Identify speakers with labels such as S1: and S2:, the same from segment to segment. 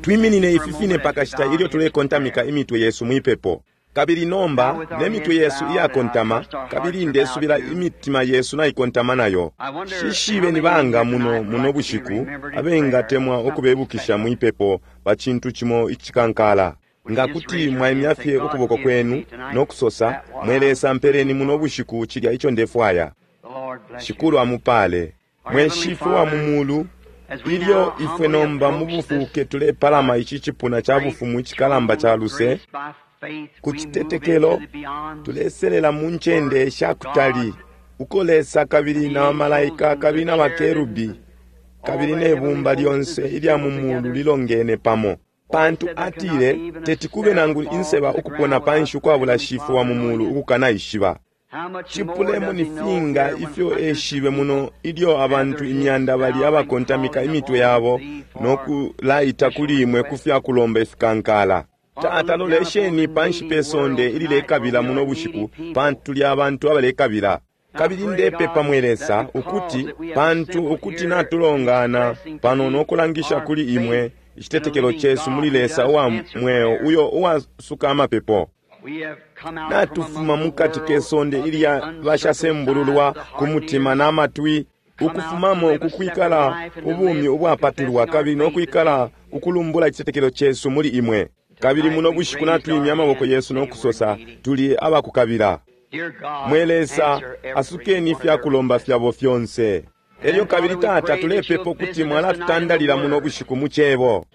S1: Twiminine ifi fine pa kashita ilyo tulekontamika imitwe yesu mwipepo. Kabili nomba, ne mitwe yesu iyakontama, kabili ndesubila imitima yesu naikontama nayo. Shishibe ni banga muno muno bushiku abengatemwa ukubebukisha mwipepo pa cintu cimo icikankala. Nga kuti mwaimya fye ukuboko kwenu no kusosa, Mwe Lesa, mpeleni muno bushiku cilya ico ndefwaya. Shikulu amupale. Mwe Shifwe wa mu Mulu, ilyo ifwe nomba mu bufuuke tulepalama ici cipuna ca bufumu icikalamba ca luse, ku citetekelo tuleselela mu ncende sha kutali uko Lesa kabili na bamalaika kabili na bakerubi kabili ne bumba lyonse ilya mu mulu lilongene pamo. Pantu atile, Teti kube nangu inseba ukupona panshi ukwabula Shifwe wa mu mulu ukukanaishiba. Cipulemo ni finga ifyo eshibe muno ilyo abantu imyanda bali abakontamika imitwe yabo no kulaita kuli imwe ku fya kulomba ifikankala. Tata, lolesheni panshi pe sonde ililekabila muno bushiku, pantu tuli abantu abalekabila. Kabili ndepepa, mwe Lesa, ukuti pantu ukuti natulongana pano no kulangisha kuli imwe icitetekelo cesu muli Lesa uwa mweo uyo uwasuka amapepo. Natufuma mukati ke sonde ilya bashasembululwa ku mutima na matwi, ukufumamo kukwikala ubumi ubwapatulwa kabili no kwikala kukulumbula icitetekelo cesu muli imwe. Kabili muno bushiku natwimya amaboko yesu no kusosa, tuli abakukabila. Mwe Lesa, asukeni ifya kulomba fyabo fyonse. Elyo kabili, Tata, tulepepa ukuti mwalatutandalila muno bushiku mu Cebo.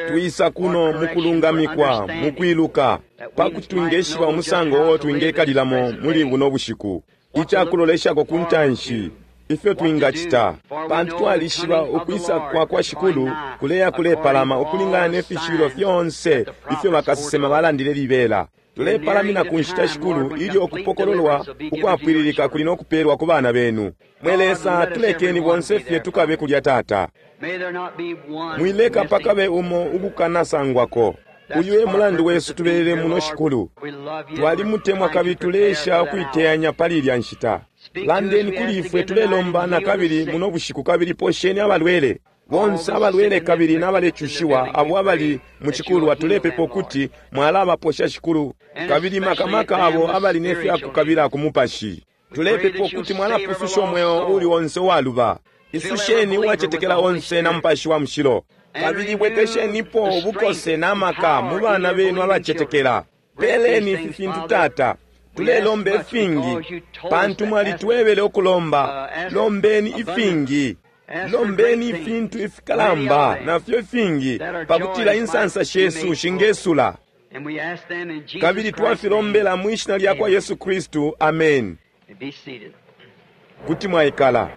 S1: Twisa kuno mukulungamikwa, mukwiluka, pakuti twingeshiba umusango uo twingekalilamo muli buno bushiku, icakuloleshako ku ntanshi, ifyo twingacita, pantu twalishiba ukwisa kwa kwa Shikulu kuleya kulepalama ukulingana ne fishibilo fyonse ifyo bakasesema balandile libela. Tulepalamina ku nshita, Shikulu, ilyo ukupokololwa ukwapwililika kuli no kupelwa ku bana benu. Mwe Lesa, tulekeni bonse fye tukabe kulya, Tata. Mwileka pakabe umo ukukanasangwako. Uyu e mulandu wesu tubelele muno, Shikulu. Twalimutemwa kabili tuleesha ukuiteyanya pali ilya nshita. Landeni kuli ifwe, tulelomba na kabili muno bushiku, kabili posheni abalwele. Bonse abalwele kabili nabalecushiwa abo abali mu cikulwa, tulepepa ukuti mwalabaposha, Shikulu, kabili makamaka abo abali ne fya kukabila ku mupashi. Tulepepa ukuti mwalapususha umweo uli onse uwaluba. Isusheni uwacetekela onse na Mupashi wa Mushilo, kabili bwekeshenipo ubukose na maka mu bana benu abacetekela. Peleni ifi fintu, Tata. Tulelomba ifingi, pantu mwalitwebele ukulomba. Lombeni ifingi. Lombeni ifintu ifikalamba nafyo ifingi, pakutila insansa shesu shingesula. Kabili twafilombela mwi shina lya kwa Yesu Kristu. Amen. Kuti mwaikala.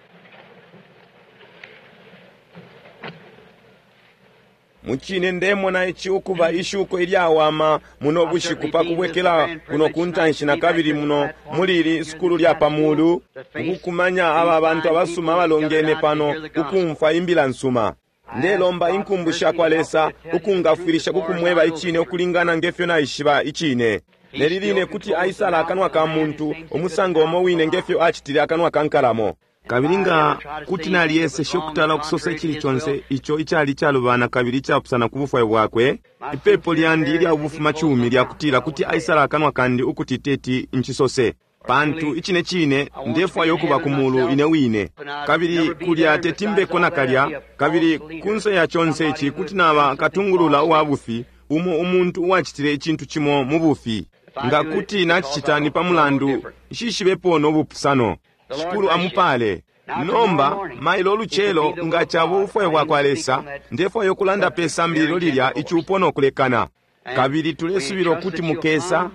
S1: Mucine ndemona ici ukuba ishuko ilyawama muno bushiku pa kubwekela kuno ku ntanshi na kabili muno muli ili sukulu lya pa mulu, ukukumanya aba bantu abasuma abalongene pano kukumfwa imbila nsuma. Ndelomba inkumbu sha kwa Lesa ukungafwilisha kukumweba icine ukulingana nge fyo naishiba icine. Neli line kuti aisala akanwa ka muntu umusango umo wine nge fyo acitile akanwa ka nkalamo. Kabili nga kuti nalyeseshe ukutala ukusosa icili conse ico icali icalubana kabili icapusana ku bufwayo bwakwe, ipepo lyandi ilya bufumacumi lya kutila kuti aisala akanwa kandi ukuti teti ncisose. Pantu icine cine ndefwaya ukuba ku mulu ine wine, kabili kulya teti mbeko nakalya, kabili kunse ya conse ici kuti naba katungulula uwa bufi, umo umuntu uwacitile icintu cimo mu bufi. Nga kuti nacicita ni pa mulandu nshishibepo no bupusano. Shikulu amupale. Nomba, mailo ulucelo, nga caba ubufwayo bwakwa Lesa, ndefwaya ukulanda pe sambililo lilya icupo no kulekana. Kabili tulesubila ukuti mukesa,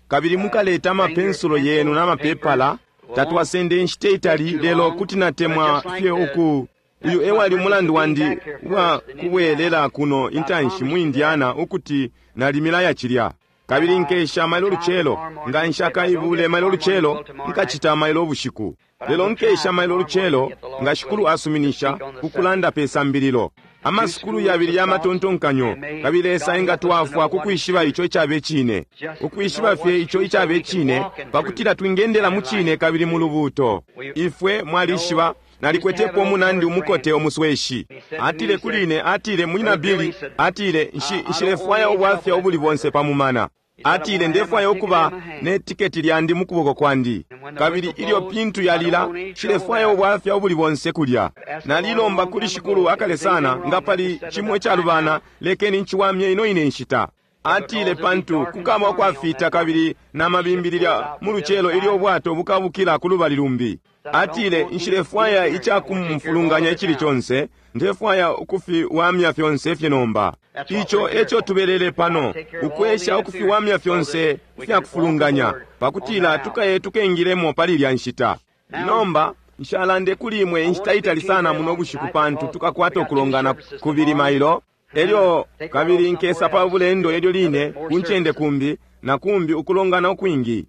S1: kabili mukaleta amapensulo yenu na mapepala. Tatwasende inshita itali, lelo kuti natemwa fye uku. Uyu ewali umulandu wandi uwa kubwelela kuno intanshi mu Indiana, ukuti nalimilaya cilya. Kabili nkesha mailo lucelo. Nga nshakaibule mailo lucelo, nkacita mailo ubushiku. Lelo nkesha mailo lucelo, nga Shikulu asuminisha, ukulanda pe sambililo. Amasukulu yabili ya matontonkanyo, kabili Lesa engatwafwa ku kwishiba ico icabe cine. Ukwishiba fye ico icabe cine, pakutila twingendela mu cine kabili mu lubuuto. Ifwe mwalishiba. Nalikwetepo umunandi umukote umusweshi. Atile kuli ine, atile, Munyina Billy, atile, Nshi, nshilefwaya ubwafya ubuli bonse pa mumana. Atile, Ndefwaya ukuba ne tiketi lyandi mukuboko kwandi. Kabili ilyo pintu yalila, nshilefwaya ubwafya ubuli bonse kulya. Nalilomba kuli Shikulu akale sana, nga pali cimo icalubana, lekeni nciwamye ino ine nshita. Atile, Pantu kukaba ukwafita kabili na mabimbi lilya mu lucelo ilyo ubwato bukabukila ku lubali lumbi. Atile, Nshilefwaya icakumfulunganya icili conse, ndefwaya ukufiwamya fyonse fye nomba. Ico eco tubelele pano, ukwesha ukufiwamya fyonse ifyakufulunganya, pakutila tukaye tukengilemo pali ilya nshita. Nomba, nshalande kuli imwe inshita itali sana muno bushiku pantu tukakwata ukulongana kubili mailo. Elyo kabili nkesa pa bulendo elyo line ku ncende kumbi na kumbi ukulongana ukwingi.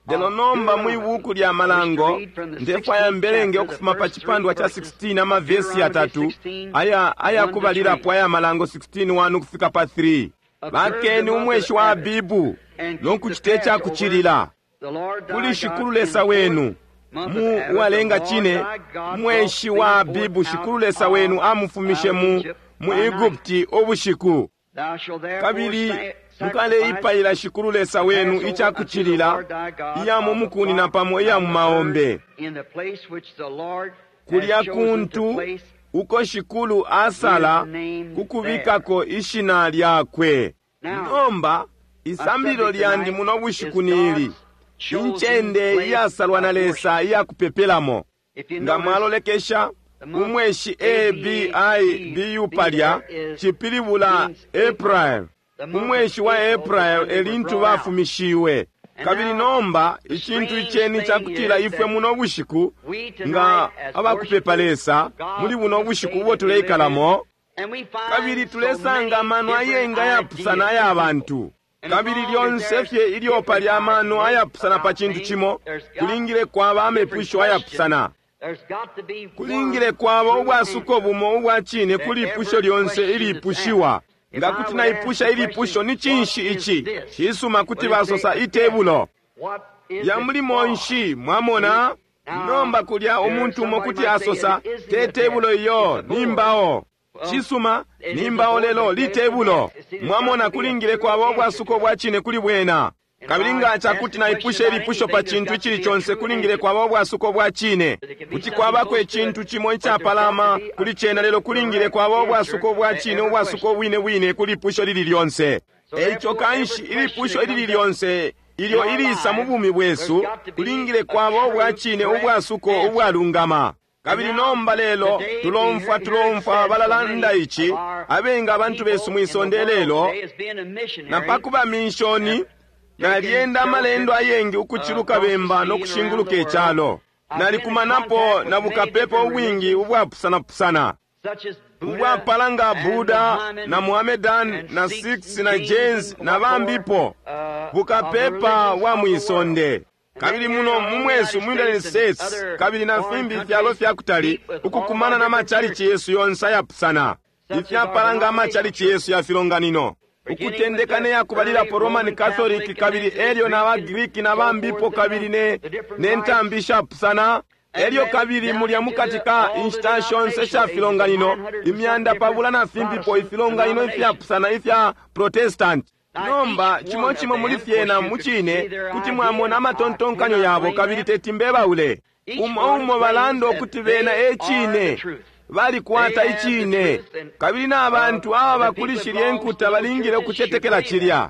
S1: Lelo nomba mwi buku lya Malango, ndefwaya mbelenge ukufuma pa cipandwa ca 16 amavesi yatatu aya aya kubalilapo aya Malango 16 1 ukufika pa 3. Bakeni umweshi wa Abibu no kucita ica kucilila kuli Shikulu Lesa wenu. Mu uwalenga cine mweshi wa Abibu Shikulu Lesa wenu amufumishe mu mu Egupti ubushiku. Kabili mukaleipayila Shikulu Lesa wenu ica kucilila iya mu mukuni na pamo iya mu maombe, kulya kuntu uko Shikulu asala kukubikako ishina lyakwe. Nomba isambililo lyandi muno bushiku ni ili: incende iyasalwa na Lesa iya kupepelamo. Nga mwalolekesha umweshi A B I B U palya, cipilibula April. Umweshi wa April elintu bafumishiwe. Kabili nomba icintu iceni cakutila ifwe muno bushiku nga abakupepa Lesa muli buno bushiku ubo tuleikalamo, kabili tulesanga amano ayengi ayapusana aya bantu. Kabili lyonse fye ilyo pali amano ayapusana pa cintu cimo, kulingile kwaba amepusho ayapusana. Kulingile kwaba ubwasuko bumo ubwa cine kuli ipusho lyonse ilipushiwa. Nga kuti naipusha ilipusho, ni cinshi ici? Cisuma, kuti basosa itebulo. Ya mulimo nshi, mwamona? Nomba kulya umuntu umo kuti asosa, te tebulo iyo, ni mbao. Cisuma, ni mbao lelo litebulo. Mwamona, kulingile kwaba ubwasuko bwa cine kuli bwena. Kabili nga cakuti naipusha ilipusho pa cintu icili conse, kulingile kwaba ubwasuko bwa cine. Kuti kwabako icintu cimo icapalama kuli cena, lelo kulingile kwaba ubwasuko bwa cine, ubwasuko bwine bwine kuli ipusho lili lyonse. Eico kanshi ilipusho ilili lyonse ilyo ilisa mu bumi bwesu, kulingile kwaba ubwa cine, ubwasuko ubwalungama. Kabili nomba lelo tulomfwa tulomfwa balalanda ici, abengi abantu besu mwisonde lelo, na pakuba minshoni, nalyenda amalendo ayengi ukuciluka bemba no kushinguluka icalo. Nalikumanapo na bukapepa ubwingi ubwapusanapusana, ubwapala nga Buddha na Muhammedan na Sikhs na Jains na bambipo, bukapepa bwa mwisonde. Kabili muno mu mwesu mu United States kabili na fimbi ifyalo fya kutali, ukukumana na machalichi yesu yonse ayapusana, ifyapala nga amachalichi yesu ya filonganino, ukutendeka ne yakubalilapo Roman Catholic, kabili elyo na ba Greek na bambipo, kabili ne ne ntambi ishapusana, elyo kabili mulya mukati ka inshita shonse sha filonganino imyanda pabula na fimbipo ifilonganino ifyapusana ifya Protestant. Nomba cimo cimo muli fyena mucine kuti mwamona amatontonkanyo yabo, kabili teti mbebaule. Umo umo balanda ukuti bena e cine, balikwata icine, kabili na bantu aba kuli shilye nkuta balingile ukucetekela cilya,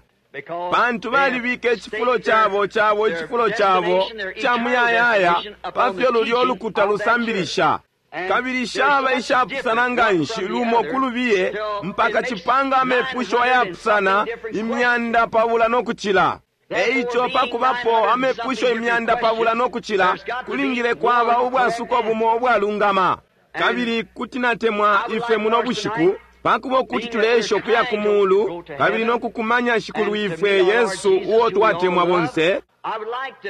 S1: pantu balibika icifulo cabo cabo icifulo cabo ca muyayaya pa fyo lulyo lukuta lusambilisha. Kabili shaba ishapusana nga nshi lumo kulubiye mpaka cipanga amepusho ayapusana imyanda pabula no kucila. Eico pakubapo amepusho imyanda pabula no kucila, kulingile kwaba ubwasuko bumo ubwalungama. Kabili kuti natemwa ifwe muno bushiku, pakuba ukuti tuleesha ukuya ku muulu kabili no kukumanya Shikulu ifwe Yesu uo twatemwa bonse,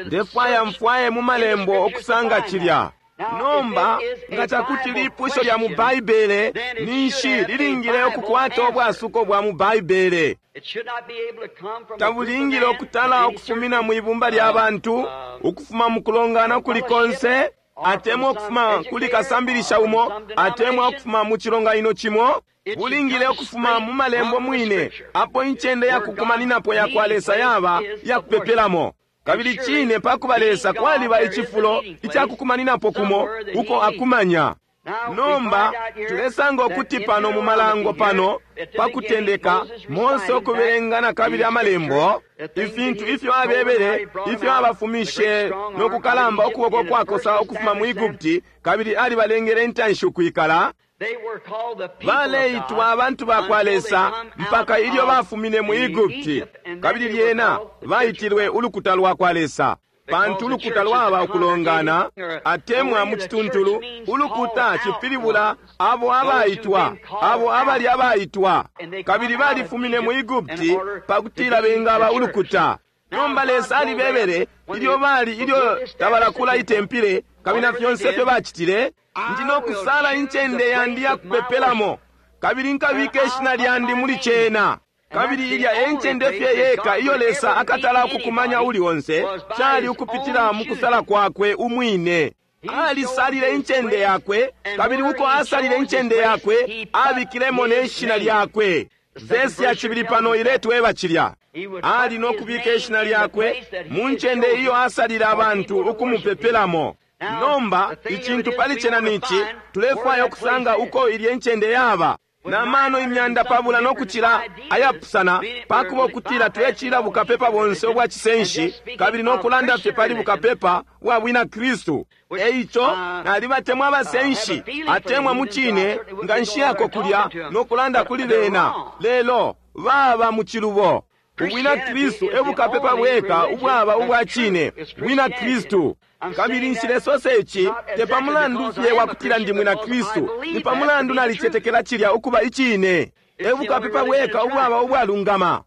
S1: ndefwaya mfwaye mu malembo ukusanga cilya. Nomba nga cakuti lipusho lya mu Baibele, ninshi lilingile ukukwata ubwasuko bwa mu Baibele. Tabulingile ukutala ukufumina mwi bumba lya bantu, ukufuma mu kulongana ukuli konse. atemwa ukufuma kuli kasambilisha umo, atemwa ukufuma mu cilonganino cimo. Bulingile ukufuma mu malembo mwine, apo incende ya kukumaninapo ya kwa Lesa yaba ya kupepelamo. Kabili cine pakuba Lesa kwaliba icifulo icakukumaninapo kumo uko akumanya. Nomba tulesanga ukuti pano mu malango pano pa kutendeka Mose ukubelenga na kabili amalembo, ifintu ifyo abebele, ifyo abafumishe no kukalamba ukuboko kwakosa ukufuma mu Egupti, kabili alibalengele intanshi ukwikala. Baleitwa abantu ba kwa Lesa mpaka ilyo bafumine mu Egupti, kabili lyena baitilwe ulukuta lwa kwa Lesa. Pantu ulukuta lwaba ukulongana, atemwa mu cituntulu ulukuta cipilibula abo abaitwa, abo abali abaitwa, kabili balifumine mu Egupti pakutila bengaba ulukuta. Nomba Lesa alibebele ilyo bali ilyo tabalakula itempile, kabili na fyonse ifyo bacitile, ndi no kusala incende yandi ya kupepelamo, kabili nkabika ishina lyandi muli cena. Kabili ilya e ncende fye yeka iyo Lesa akatala ukukumanya uli onse, cali ukupitila mu kusala kwakwe umwine. Alisalile incende yakwe, kabili uko asalile incende yakwe abikilemo ne shina lyakwe. Vesi ya cibili pano iletweba cilya. Ali no kubika ishina lyakwe mu ncende iyo asalile abantu ukumupepelamo. Nomba icintu pali cena nici, tulefwaya ukusanga uko ilye ncende yaba. Na mano imyanda pabula no kucila ayapusana, pakuba ukutila tulecila bukapepa bonse ubwa cisenshi, kabili no kulanda fye pali bukapepa bwa bwina Kristu. Eico nalibatemwa abasenshi, atemwa mu cine nga nshiyako kulya no kulanda kuli bena, lelo baba mu cilubo. Ubwina Kristu e bukapepa bweka ubwaba ubwa cine, bwina Kristu. Kabili nshilesosa ici te pa mulandu fye wa kutila ndi mwina Kristu, ni pa mulandu nalicetekela cilya ukuba icine. E bukapepa bweka ubwaba ubwalungama.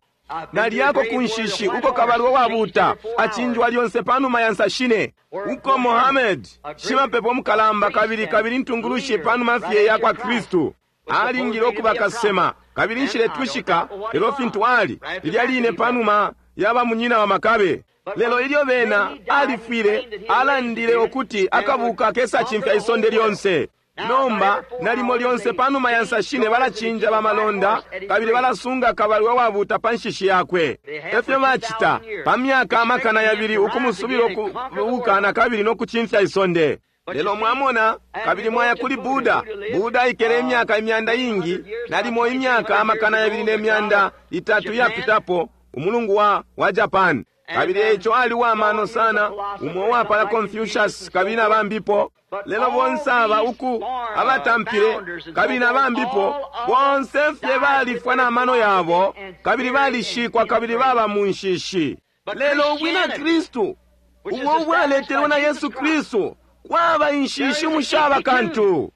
S1: Nalyako ku nshishi uko kabalwe wabuuta acinjwa lyonse panuma ya nsa shine, uko Mohammed shimapepo mukalamba kabili kabili ntungulushi panuma fye ya kwa Kristu alingile ukuba kasema, kabili nshiletwishika lelo fintu ali lilya line panuma ya bamunyina wa Makabe. Lelo ilyo bena alifwile, alandile ukuti akabuka kesacimfya isonde lyonse. Nomba nalimo lyonse panuma ya nsa shine balacinja bamalonda, kabili balasunga kabalwe wabuuta pa nshishi yakwe. Efyo bacita pa myaka amakana yabili ukumusubila ukubuka na kabili no kucimfya isonde. Lelo mwamona, kabili mwaya kuli Buddha. Buddha aikele imyaka imyanda ingi, nalimo imyaka amakana yabili ne myanda itatu yapitapo, umulungu wa Japan. Kabili eico ali wa mano sana, umo uwapala Confucius kabili na bambipo. Lelo bonse aba uku abatampile kabili na bambipo, bonse fye balifwa na mano yabo, kabili balishikwa kabili baba mu nshishi. Lelo ubwina Kristu ubo ubwaletelwe na Yesu Kristu kwaba inshishi mushaba kantu.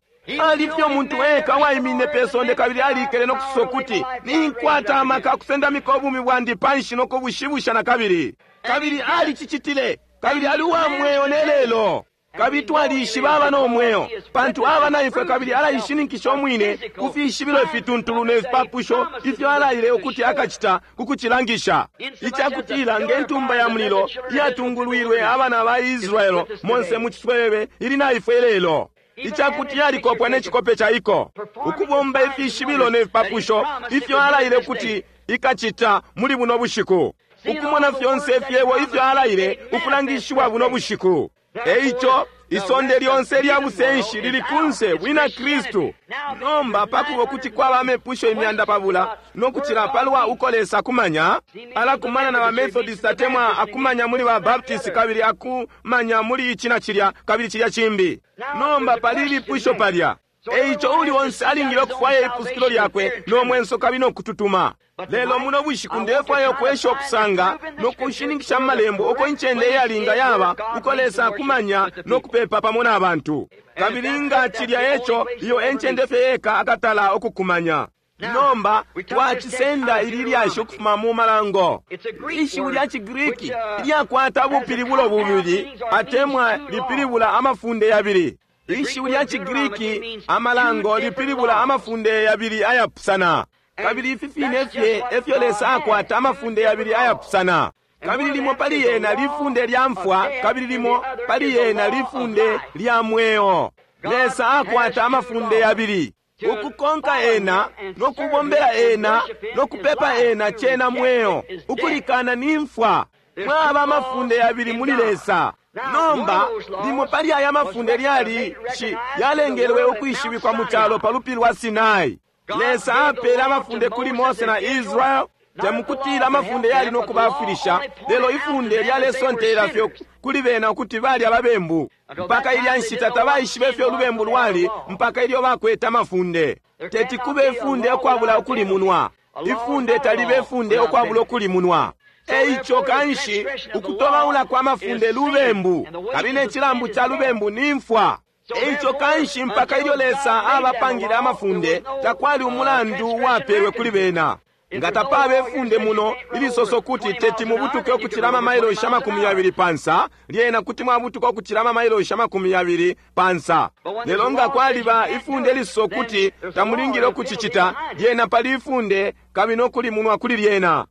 S1: Ali fye umuntu eka waimine pe sonde kabili alikele no kusosa ukuti, ninkwata amaka akusendamika ubumi bwandi panshi no kubushibusha na kabili. Kabili alicicitile, kabili ali uwa mweo ne lelo. Kabili twalishiba aba no mweo, pantu aba na ifwe kabili alaishininkisha umwine ku fishibilo ifituntulu ne fipapusho ifyo alaile ukuti akacita ku kucilangisha. Icakutila nge ntumba ya mulilo iyatungulwilwe abana ba Israelo monse mu ciswebebe ili na ifwe lelo. Icakuti yalikopwa ne cikope ca iko, ukubomba ifishibilo ne fipapusho ifyo alaile ukuti ikacita muli buno bushiku, ukumona fyonse ifyebo ifyo alaile ukulangishiwa buno bushiku. Eico isonde lyonse lya busenshi lili kunse bwina Kristu. Nomba pakuba kuti kwaba amepusho imyanda pabula no kucila palwa uko Lesa akumanya, alakumana na ba Methodist atemwa akumanya muli ba Baptist kabili akumanya muli ici na cilya kabili cilya cimbi. Nomba pali ilipusho palya. Eico uli onse alingile ukufwaya ipusukilo lyakwe no mwenso kabili no kututuma. Lelo muno bushiku ndefwaya ukwesha ukusanga no kushininkisha mu malembo uko incende iyalinga yaba uko Lesa akumanya no kupepa pamo na bantu. Kabili nga cilya eco, iyo encende fye yeka akatala ukukumanya. Nomba twacisenda ili lyashi ukufuma mu malango. Ishiwi lya ciGriki ilyakwata ubupilibulo bubili atemwa lipilibula amafunde yabili. Ishiwi lya ciGriki amalango lipilibula amafunde yabili ayapusana. Kabili ifi fine fye efyo Lesa akwata amafunde yabili ayapusana. Kabili limo pali yena lifunde lya mfwa, kabili limo pali yena lifunde lya mweo. Lesa akwata amafunde yabili. Ukukonka ena, no kubombela ena, no kupepa ena cena mweo. Ukulikana ni mfwa. Mwaba amafunde yabili muli Lesa. Nomba, limo pali aya mafunde lyali shi yalengelwe ukwishibikwa mu calo pa lupili lwa Sinai. Lesa apele amafunde kuli Mose na Israel, temukutila amafunde yali no kubafwilisha, lelo ifunde lyalesontelela fye kuli bena ukuti bali ababembu. Mpaka ilya nshita tabaishibe ifyo ulubembu lwali, mpaka ilyo bakwete amafunde. Teti kube ifunde ukwabula ukulimunwa. Ifunde talibe ifunde ukwabula ukulimunwa. Eico kanshi ukutobaula kwa mafunde lubembu, kabili ne cilambu ca lubembu ni mfwa. Eico kanshi mpaka ilyo Lesa abapangile amafunde, takwali umulandu uwapelwe kuli bena. Nga tapaba ifunde muno ilisoso kuti teti mubutuke ukucila amamailoshi 20 pansa, lyena kuti mwabutuka ukucila amamailoshi 20 pansa. Lelo nga kwaliba ifunde lisoso kuti tamulingile ukucicita, lyena pali ifunde kabili no kulimunwa kuli lyena.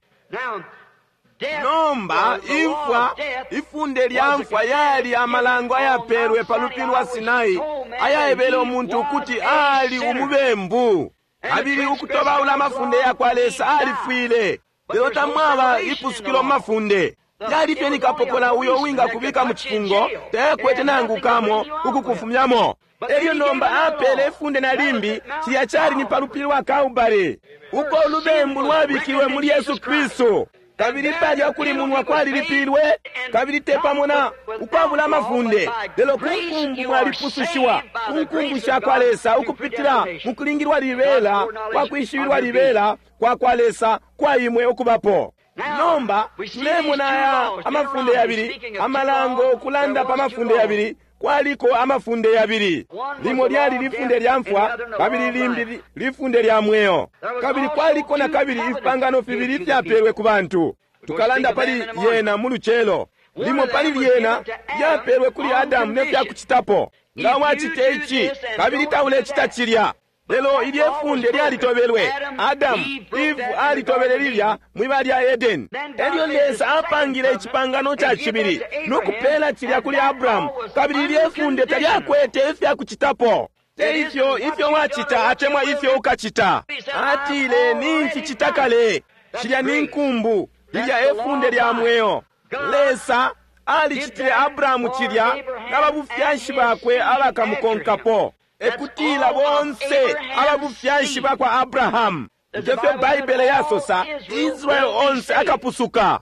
S1: Nomba imfwa, ifunde lya mfwa yali amalango ayapelwe pa lupili lwa Sinai ayaebele umuntu ukuti ali umubembu. Kabili ukutobaula amafunde ya kwa Lesa alifwile. Lelo tamwaba ipusukilo mu mafunde. Yali fye ni kapokola uyo uwingakubika mu cifungo, tayakwete nangu kamo ukukufumyamo. Elyo nomba apele ifunde na limbi, cilya cali ni pa lupili lwa Kalbale, uko ulubembu lwabikilwe muli Yesu Kristu. Kabili palya kulimunwa kwalilipilwe, kabili te pamo na ukwabula amafunde, lelo ku nkumbu mwalipusushiwa, ku nkumbu sha kwa Lesa ukupitila mu kulingilwa libela kwa kwishibilwa libela kwa kwa Lesa kwa imwe ukubapo. Nomba tulemona aya amafunde yabili, amalango ukulanda pa mafunde yabili. Kwaliko amafunde yabili, limo lyali lifunde lya mfwa, kabili limbi lifunde lya mweo. Kabili kwaliko na kabili ifipangano fibili ifyapelwe ku bantu. Tukalanda pali yena mu lucelo. Limo pali lyena lyapelwe kuli Adamu ne fyakucitapo, nga wacita ici kabili taulecita cilya. Lelo ilye funde lyalitobelwe. Adamu, Eve alitobele lilya mwiba lya Eden. Elyo Lesa apangile icipangano ca cibili no kupela cilya kuli Abrahamu, kabili ilye funde talyakwete ifyakucitapo. Te ifyo ifyo wacita atemwa ifyo ukacita. Atile nincicita kale. Cilya ni nkumbu, lilya efunde lya mweo. Lesa alicitile Abrahamu cilya na babufyashi bakwe abakamukonkapo. Ekutila bonse ababufyashi bakwa Abrahamu. Ngefyo Baibele yasosa, Israel onse akapusuka.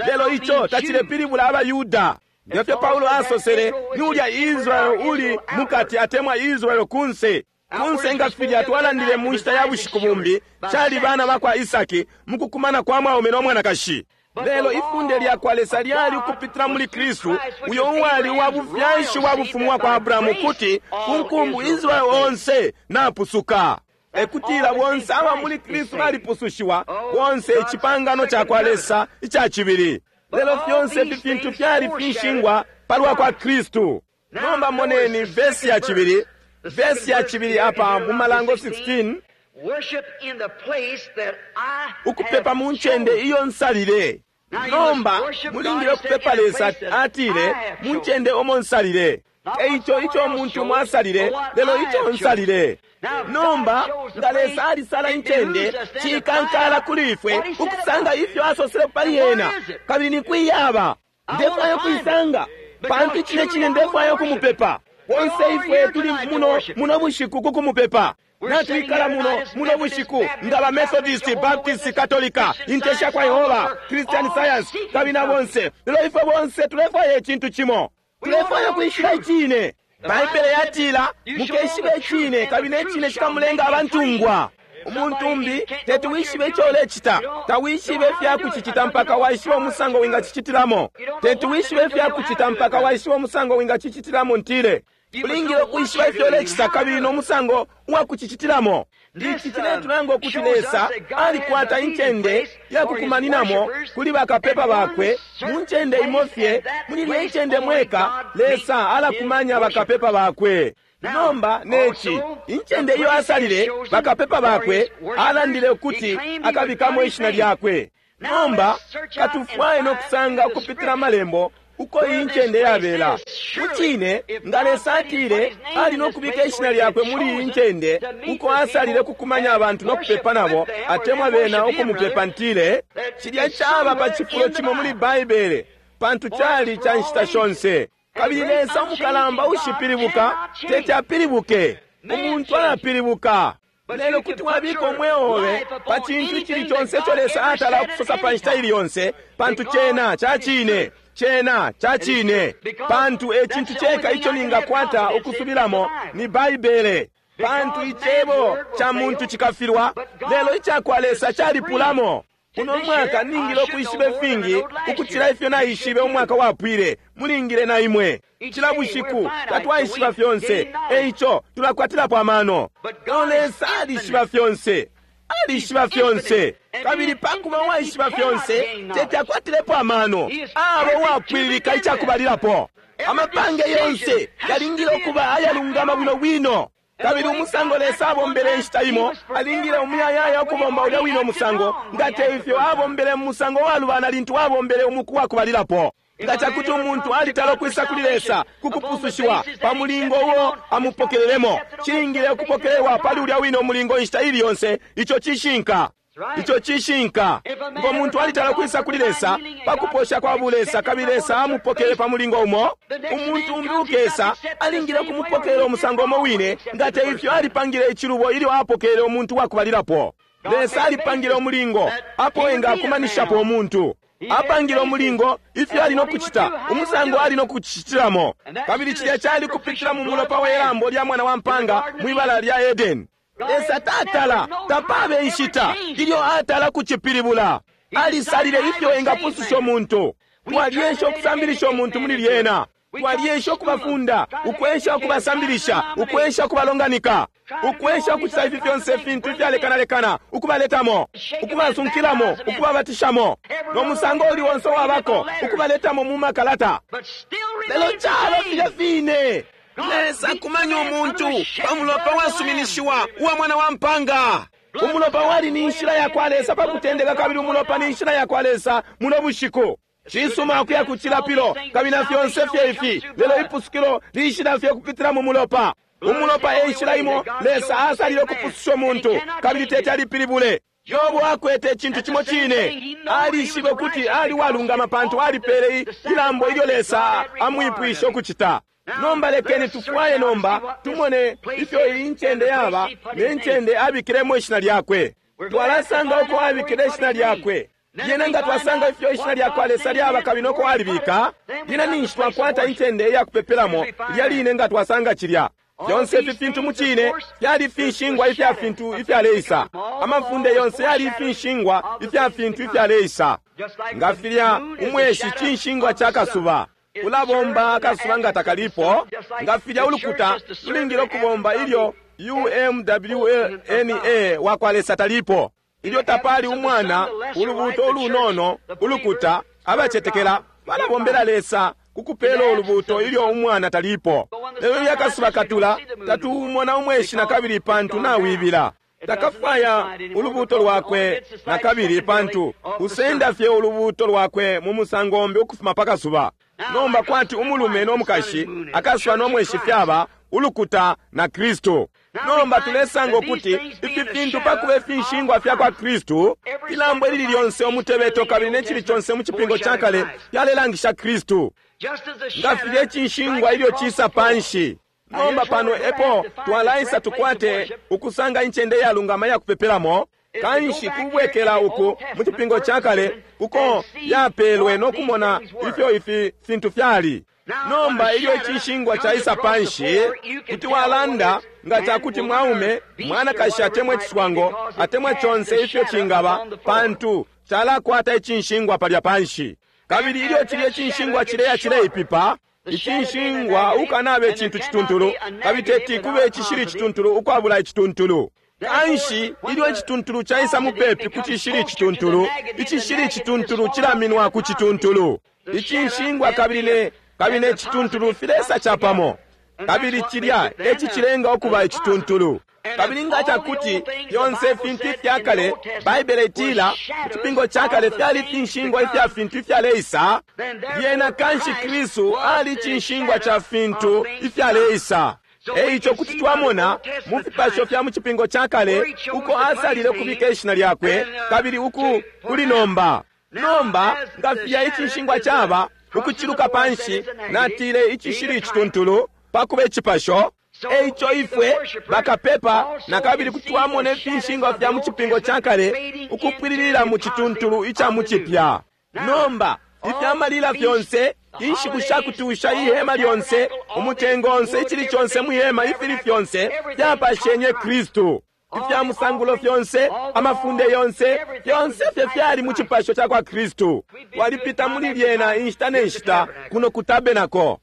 S1: Lelo ico tacilepilibula abaYuda. Ngefyo Paulo asosele, ni ulya Israel uli mukati atemwa Israel kunse. Kunse nga filya twalandile mu nshita ya bushiku bumbi, cali bana bakwa Isaki mukukumana kwa mwaume no mwanakashi. Lelo ifunde lya kwa Lesa lyali ukupitila muli Kristu, uyo uwali wa bufyashi wa bufumu wa kwa Abrahamu, kuti ku nkumbu Israel onse napusuka. Ekutila bonse aba muli Kristu balipusushiwa, bonse icipangano ca kwa Lesa ica cibili. Lelo fyonse ifi fintu fyali finshingwa palwa kwa Kristu. Nomba moneni vesi ya cibili, vesi ya cibili apa mu Malango 16. Ukupepa mu ncende iyo nsalile. Nomba mulingile ukupepa Lesa atile mu ncende omo nsalile. Eico ico umuntu mwasalile, lelo ico nsalile. Nomba nga Lesa alisala incende, cikankala kuli ifwe ukusanga ifyo asosele pali yena, kabili ni kwiyaba. Ndefwaya ukuisanga, pantu icine cine ndefwaya ukumupepa. Bonse ifwe tuli muno muno bushiku kukumupepa. Natwikala muno muno bushiku nga ba Methodist, Baptist, Katolika, Inte sha kwa Yehova, Christian Science, kabili na bonse. Lelo ifwe bonse tulefwaya icintu cimo. Tulefwaya ukwishiba icine. Baibele yatila mukeshiba icine, kabili ne cine cikamulenga abantungwa. Umuntu umbi teti wishibe ico ulecita, tawishibe ifya kucicita mpaka waishiba umusango wingacicitilamo. Teti wishibe ifya kucita mpaka waishiba umusango wingacicitilamo. Ntile ulingile ukwishiba ifyo ulecita kabili no musango uwa kucicitilamo. Ici ciletulanga ukuti Lesa alikwata incende ya kukumaninamo kuli bakapepa bakwe mu ncende imo fye. Muli ilya incende mweka Lesa alakumanya bakapepa bakwe. Nomba neci incende iyo asalile bakapepa bakwe, alandile ukuti akabikamo ishina lyakwe. Nomba katufwaye no kusanga ukupitila Amalembo uko iyi ncende yabela. Mucine, nga Lesa atile ali no kubika ishina lyakwe muli iyi ncende uko asalile kukumanya abantu no kupepa nabo, atemwa bena ukumupepa, ntile cilya caba pa cifulo cimo muli Baibele, pantu cali ca nshita shonse. Kabili Lesa umukalamba ushipilibuka teti apilibuke. Umuntu alapilibuka. Lelo kuti wabika umweo obe pa cintu icili conse ico Lesa atala ukusosa pa nshita ili yonse, pantu cena ca cine. Cena ca cine, pantu e cintu ceka ico ningakwata ukusubilamo ni Baibele. Pantu icebo ca muntu cikafilwa, lelo ica kwa Lesa calipulamo. Uno mwaka ningile ukwishiba ifingi ukucila ifyo naishibe umwaka wapwile. Mulingile na imwe. Cila bushiku tatwaishiba fyonse, e ico tulakwatilapo amano. Lelo Lesa alishiba fyonse. Alishiba fyonse. Kabili pa kuba uwaishiba fyonse, teti akwatilepo amano. Aba uwapwililika icakubalilapo. Amapange yonse yalingile ukuba ayalungama bwino bwino. Kabili umusango Lesa abombele inshita imo, alingile umuyayaya ukubomba ulya wine umusango, nga te ifyo abombele mu musango walubana lintu abombele umuku wa kubalilapo. Nga ca kuti umuntu alitala ukwisa kuli Lesa ku kupusushiwa pa mulingo uo amupokelelemo, cilingile ukupokelelwa pali ulya wine umulingo inshita ili yonse. Ico cishinka. Ico cishinka. Ngo muntu alitala ukwisa kuli Lesa pa kuposha kwa bulesa, kabili Lesa amupokele pa mulingo umo, umuntu umbi ukesa alingile ukumupokelela umusango umo wine, nga te ifyo alipangile icilubo ilyo apokele umuntu wa kubalilapo. Lesa alipangile umulingo apo engakumanishapo umuntu. Apangile umulingo ifyo ali no kucita, umusango ali no kucitilamo. Kabili cilya cali kupitila mu mulopa we lambo lya mwana wa mpanga mwi bala lya Edeni. Lesa tatala, tapabe inshita ilyo atala kucipilibula. Alisalile ifyo engapususha umuntu. Twalyesha ukusambilisha umuntu muli lyena. Twalyesha ukubafunda, ukwesha ukubasambilisha, ukwesha ukubalonganika, ukwesha ukucita ifi fyonse ifintu ifyalekanalekana, ukubaletamo, ukubasunkilamo, ukubabatishamo, no musango uli onse wabako, ukubaletamo mu makalata. Lelo caba filya fine. Lesa akumanya umuntu pa mulopa wasuminishiwa uwa mwana wa mpanga. Umulopa wali ni nshila ya kwa Lesa pa kutendeka, kabili umulopa ni nshila ya kwa Lesa muno bushiku. Cisuma ukuya ku cilapilo kabili na fyonse fye ifi, lelo ipusukilo lishila fye kupitila mu mulopa. Umulopa e nshila imo Lesa asalile ukupususha umuntu, kabili teti alipilibule. Yobo akwete icintu cimo cine. Alishibe ukuti ali walungama pantu alipele ilambo ilyo Lesa amwipwishe ukucita. Nomba lekeni tufwaye nomba tumone ifyo iyi ncende yaba ne ncende abikilemo ishina lyakwe. Twalasanga uko abikile ishina lyakwe. Lyena nga twasanga ifyo ishina lya kwa Lesa lyaba kabili noko alibika, lyena ninshi twakwata incende iya kupepelamo lilya line nga twasanga cilya. Fyonse ifi fintu mu cine fyali finshingwa ifya fintu ifyaleisa. Amafunde yonse yali finshingwa ifya fintu ifyaleisa. Nga filya umweshi cinshingwa ca kasuba ulabomba akasuba nga takalipo, nga filya ulukuta lulingile ukubomba ilyo UMWNA wa kwa Lesa talipo. Ilyo tapali umwana, ulubuuto ulunono, ulukuta, abacetekela balabombela Lesa ku kupela ulubuuto ilyo umwana talipo. Lelo ilyo akasuba katula, tatuumona umweshi na kabili pantu nawibila. Takafwaya ulubuuto lwakwe na kabili pantu usenda fye ulubuuto lwakwe mu musango umbi ukufuma pa kasuba. Nomba kwati umulume no mukashi, akasuba no mweshi fyaba ulukuta na Kristu. Nomba tulesanga ukuti ifi fintu pa kuba ifinshingwa fya kwa Kristu, ilambo ilili lyonse, umutebeto kabili ne cili conse mu cipingo ca kale fyalelangisha Kristu. Nga filya icinshingwa ilyo cisa panshi. Nomba pano epo twalaisa tukwate ukusanga incende iyalungama iya kupepelamo. Kanshi kubwekela uku mu cipingo ca kale uko yapelwe no kumona ifyo ifi fintu fyali. Nomba ilyo icinshingwa caisa panshi, kuti walanda nga ca kuti mwaume, mwanakashi atemwa iciswango, atemwa conse ifyo cingaba, pantu calakwata icinshingwa palya panshi. Kabili ilyo cilya icinshingwa cileya cileipipa, icinshingwa ukanabe icintu cituntulu, kabili teti kube icishili icituntulu ukwabula icituntulu. Kanshi ilyo icituntulu caisa mupepi ku cishili icituntulu, icishili icituntulu cilaminwa ku cituntulu. Icinshingwa kabili kabili ne cituntulu filesa capamo, kabili cilya e cicilenga ukuba icituntulu. Kabili nga cakuti fyonse ifintu ifya kale, Baibele itila, mu Cipingo ca Kale fyali finshingwa ifya fintu ifyaleisa, lyena kanshi Kristu ali cinshingwa ca fintu ifyaleisa. E ico kuti twamona mu fipasho fya mu Cipingo ca Kale uko asalile ukubika ishina lyakwe, kabili uku kuli nomba. Nomba, nga filya icinshingwa caba, ukuciluka panshi, natile icishili icituntulu, pa kuba icipasho. E ico ifwe bakapepa na kabili kuti twamona ifinshingwa fya mu Cipingo ca Kale ukupwililila mu cituntulu ica mu Cipya. Nomba, ifya malila fyonse, inshiku sha kutusha, ihema lyonse, umutengo onse, icili conse mwi hema, ifili fyonse fyapashenye Kristu. Ifya musangulo fyonse, amafunde yonse, fyonse fye fyali mu cipasho ca kwa Kristu. Twalipita muli lyena inshita ne nshita kuno ku tabenako.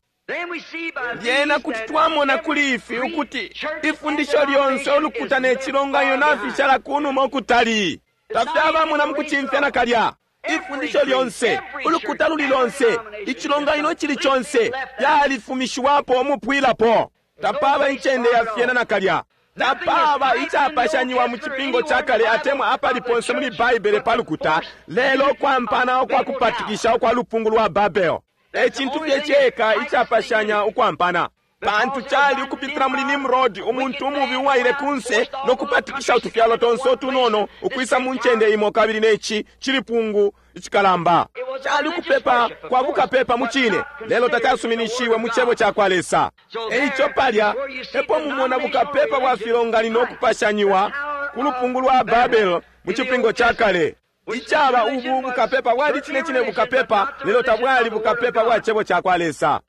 S1: Lyena kuti twamona kuli ifi ukuti ifundisho lyonse, ulukuta ne cilonganino nafishala ku numa ukutali. Tafyabamo na mu kucimfya nakalya. Ifundisho lyonse, ulukuta luli lonse, icilonganino icili conse fyalifumishiwapo umupwilapo. Tapaba incende ya fyena nakalya. Tapaba icapashanyiwa mu Cipingo ca Kale atemwa apali ponse muli Baibele pa lukuta, lelo ukwampana ukwa kupatikisha ukwa lupungu lwa Babel. E cintu fye ceka icapashanya ukwampana. Pantu cali ukupitila muli Nimrod, umuntu umubi uwaile kunse no kupatikisha utufyalo tonse utunono ukwisa mu ncende imo, kabili ne ci cilipungu icikalamba. Cali ukupepa kwa bukapepa mu cine, lelo tacasuminishiwe mu Cebo ca kwa Lesa. E ico palya epo mumona bukapepa bwa filonganino ukupashanyiwa ku lupungu lwa Babel mu Cipingo ca Kale. Icaba ubu bukapepa bwali cine cine bukapepa, lelo tabwali bukapepa bwa Cebo ca kwa Lesa.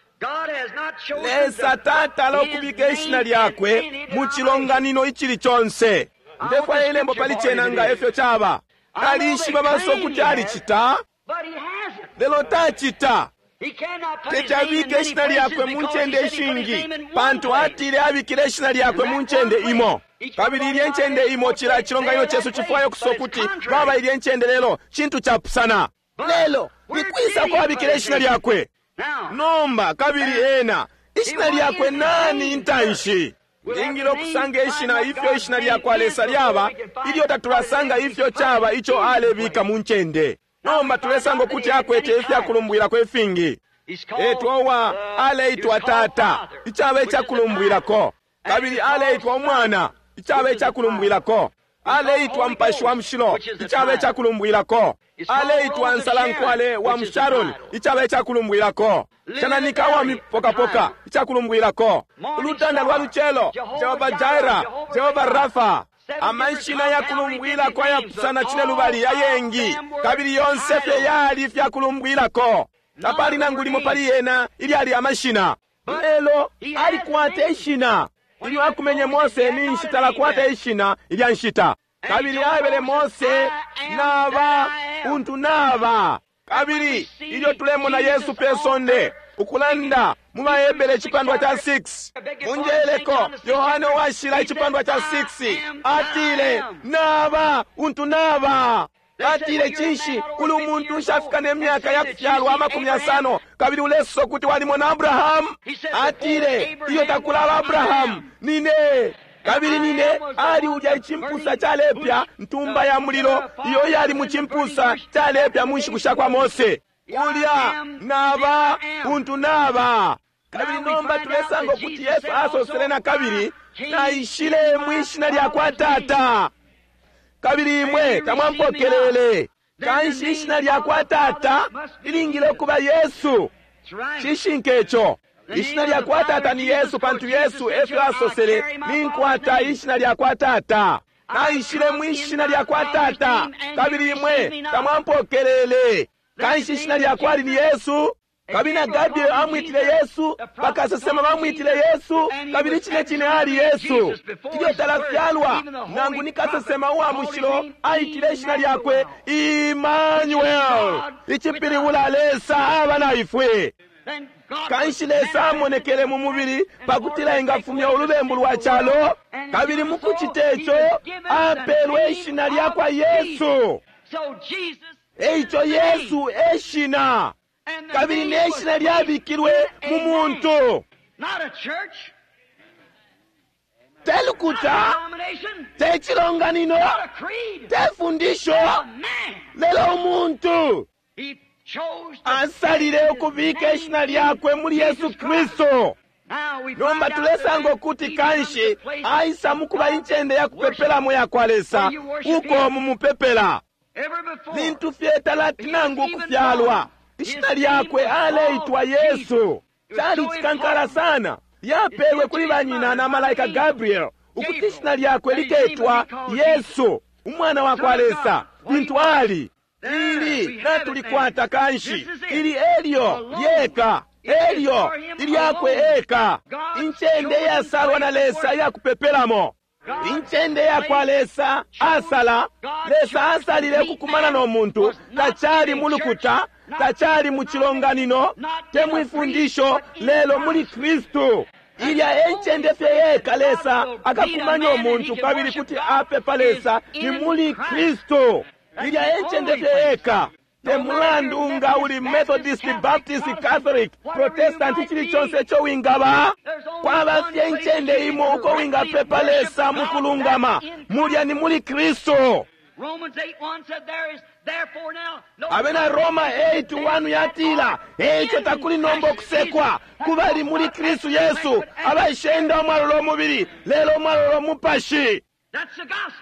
S1: Lesa tatala ukubika ishina lyakwe mu cilonganino icili conse. Ndefwaya ilembo pali cena nga efyo caba. Alishiba baso kuti alicita, lelo tacita. Teti abike ishina lyakwe mu ncende ishingi, pantu atile abikile ishina lyakwe mu ncende imo. Kabili ilye ncende imo, cila cilonganino cesu cifwaya ukusosa ukuti baba ilye ncende, lelo cintu capusana. Lelo ni kwisa uko abikile ishina lyakwe? Nomba, kabili ena, ishina lyakwe nani intanshi? Lingile ukusanga ishina, ifyo ishina lya kwa Lesa lyaba, ilyo tatulasanga ifyo caba ico alebika mu ncende. Nomba tulesanga ukuti akwete ifya kulumbwilako ifingi. Etwa uwa aleitwa Tata, icaba icakulumbwilako. Kabili aleitwa Umwana, icaba icakulumbwilako. Aleitwa Mupashi wa Mushilo, icaba icakulumbwilako. Aleitwa Nsalankwale wa mu Sharon, icaba icakulumbwilako. Cananika wa mipokapoka, icakulumbwilako. Ulutanda lwa lucelo, Jehova Jaira, Jehova Rafa. Amashina ya kulumbwilako ayapusana cine lubali ayengi, kabili yonse fye yali ifya kulumbwilako. Tapali nangu limo pali yena ilyali amashina, lelo alikwata ishina. Ilyo akumenye Mose, ninshi talakwata ishina ilya nshita. Kabili aebele Mose, naba untu naba. Kabili ilyo tulemona Yesu pe sonde ukulanda mu baHebere icipandwa ca 6, munjeleko Yohane Uwashila icipandwa ca 6 atile, naba untu naba. Atile, cinshi uli umuntu ushafika ne myaka ya kufyalwa 50, kabili ulesosa ukuti walimona Abrahamu? Atile, iyo takulaba Abrahamu, nine. Kabili nine ali ulya icimpusa calepya, ntumba ya mulilo iyo yali mu cimpusa calepya mu nshiku sha kwa Mose. Ulya naba untu naba. Kabili nomba tulesanga ukuti Yesu asosele na kabili, naishile mwi shina lya kwa Tata, kabili imwe tamwampokelele. Kanshi ishina lya kwa Tata lilingile ukuba Yesu. Cishinka ico. Ishina lya kwa Tata ni Yesu, pantu Yesu efyo asosele, ninkwata ishina lya kwa Tata. Naishile mwi shina lya kwa Tata, kabili imwe tamwampokelele. Kanshi ishina lya kwali ni Yesu. Kabili na Gabriel amwitile Yesu, bakasesema bamwitile Yesu, kabili cine cine ali Yesu. Ilyo talafyalwa, nangu ni kasesema uwa mushilo aitile ishina lyakwe Emmanuel, icipilibula Lesa aba na ifwe. Kanshi Lesa amonekele mu mubili pakutila engafumya ulubembu lwa calo, kabili mu kucita ico apelwe ishina lya kwa Yesu. Eico Yesu e shina, kabili ne shina lyabikilwe mu muntu. Te lukuta, te cilonganino, te fundisho, lelo umuntu asalile ukubika ishina lyakwe muli Yesu Kristu. Nomba tulesanga ukuti kanshi aisa mukuba incende ya kupepelamo ya kwa Lesa, uko mumupepela. Lintu fye talati nangu ukufyalwa, ishina lyakwe aleitwa Yesu. Cali cikankala sana, lyapelwe kuli banyina na malaika Gabriel ukuti ishina lyakwe liketwa Yesu, umwana wa kwa Lesa. Lintu ali ili natulikwata kanshi, ili elyo lyeka, elyo ilyakwe eka, incende iyasalwa na Lesa iyakupepelamo, incende yakwa Lesa asala. Lesa asalile ukukumana no muntu, tacali mu lukuta, tacali mu cilonganino, te mwifundisho, lelo muli Kristu. Ilya encende fye yeka Lesa akakumanya umuntu kabili kuti apepa Lesa ni muli Kristu. Ilya encende fye yeka. Te mulandu nga uli Methodist, Baptist, Catholic, Protestant, chili chonse ico wingaba, kwaba fye incende imo uko wingapepa Lesa mukulungama, mulya ni muli Kristu. Abena Roma 8:1 yatila, eico takuli nomba ukusekwa kubali muli Kristu Yesu, abaishenda umwalola umubili lelo umwalola umupashi.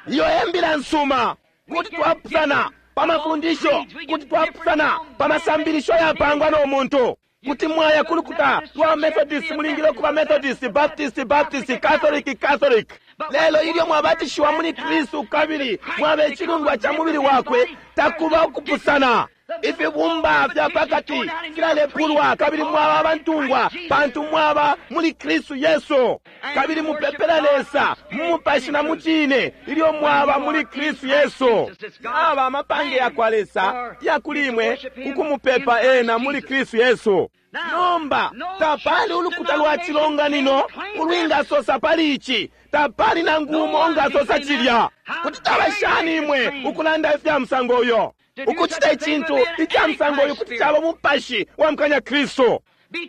S1: Iyo embila nsuma. Kuti twapusana pa mafundisho, kuti twapusana pa masambilisho yapangwa no muntu. Kuti mwaya kulukuta lwa Methodist, mulingile ukuba Methodist, Baptist, Baptist, Catholic, Catholic. Lelo ilyo mwabatishiwa muli Kristu kabili mwaba icilundwa ca mubili wakwe, takuba ukupusana. Ifibumba fya pakati filalepulwa kabili mwaba abantungwa, pantu mwaba muli Kristu Yesu. Kabili mupepela Lesa mu mupashi na mu cine ilyo mwaba muli Kristu Yesu. Aba amapange ya kwa Lesa ya kuli imwe kukumupepa ena muli Kristu Yesu. Nomba tapali ulukuta lwa cilonganino ulwingasosa pali ici, tapali nangu umo ungasosa cilya. Kuti taba shani imwe ukulanda ifya musango uyo? Ukucita icintu ica musango uyu kuti caba umupashi wa mukanya Kristu,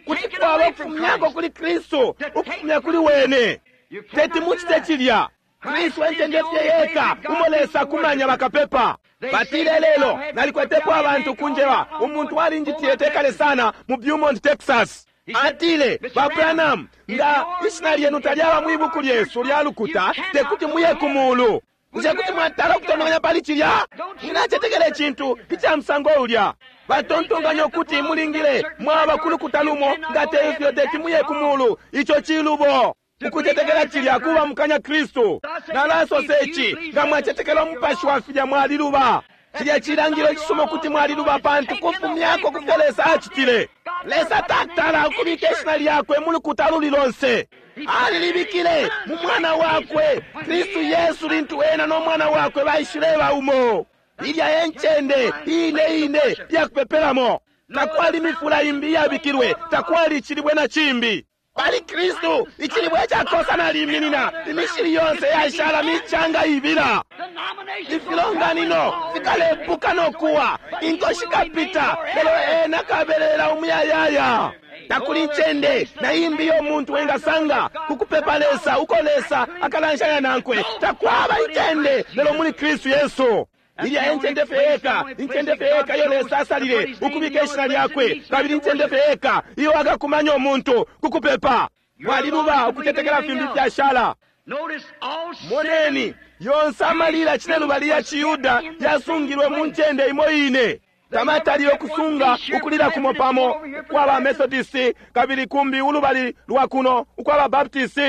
S1: kuti kwaba ukufumyako kuli Kristu, ukufumya kuli wene. Teti mucite cilya. Kristu encende fye yeka umo Lesa kumanya bakapepa. Batile lelo nalikwetepo abantu kunjeba, umuntu walinjitile tekale sana mu Beaumont, Texas. Atile, ba Branham, nga ishina lyenu talyaba mwibuku lyesu lya lukuta, tekuti muye ku mulu. Bushe kuti mwatala ukutontonkanya pali cilya? Mwinacetekela icintu ica musango ulya. Batontonkanya ukuti mulingile mwaba ku lukuta lumo, nga te ifyo teti muye ku mulu. Ico cilubo. Ukucetekela cilya kuba mukanya Kristu. Nalasosa ici, nga mwacetekela umupashi wa filya mwaliluba. Cilya cilangilo icisuma ukuti mwaliluba, pantu kufumyako kufyo Lesa acitile. Lesa tatala ukubika ishina lyakwe mu lukuta luli lonse. Alilibikile mu mwana wakwe Kristu Yesu, lintu ena no mwana wakwe baishileba umo. Ilya encende ine ine yakupepelamo. Takwali mifula imbi iyabikilwe, takwali icilibwe na cimbi. Pali Kristu icilibwe icakosa naliminina, imishili yonse yashala micanga ibila. Ifilonganino fikalepuka no kuwa, inko shikapita, lelo ena kabelela umuyayaya. Takuli incende na imbi yo muntu wengasanga kukupepa Lesa uko Lesa akalanshanya nankwe. Takwaba incende lelo muli Kristu Yesu. Ilya encende fye yeka, incende fye yeka iyo Lesa asalile ukubika ishina lyakwe, kabili incende fye yeka iyo akakumanya umuntu kukupepa. Mwaliluba ukutetekela fimbi fyashala. Moneni, yonse amalila cinelubali ya Ciyuda yasungilwe mu ncende imo ine. Tamatalile ukusunga ukulila kumo pamo ukwa ba Methodist, kabili kumbi ulubali lwa kuno ukwa ba Baptist,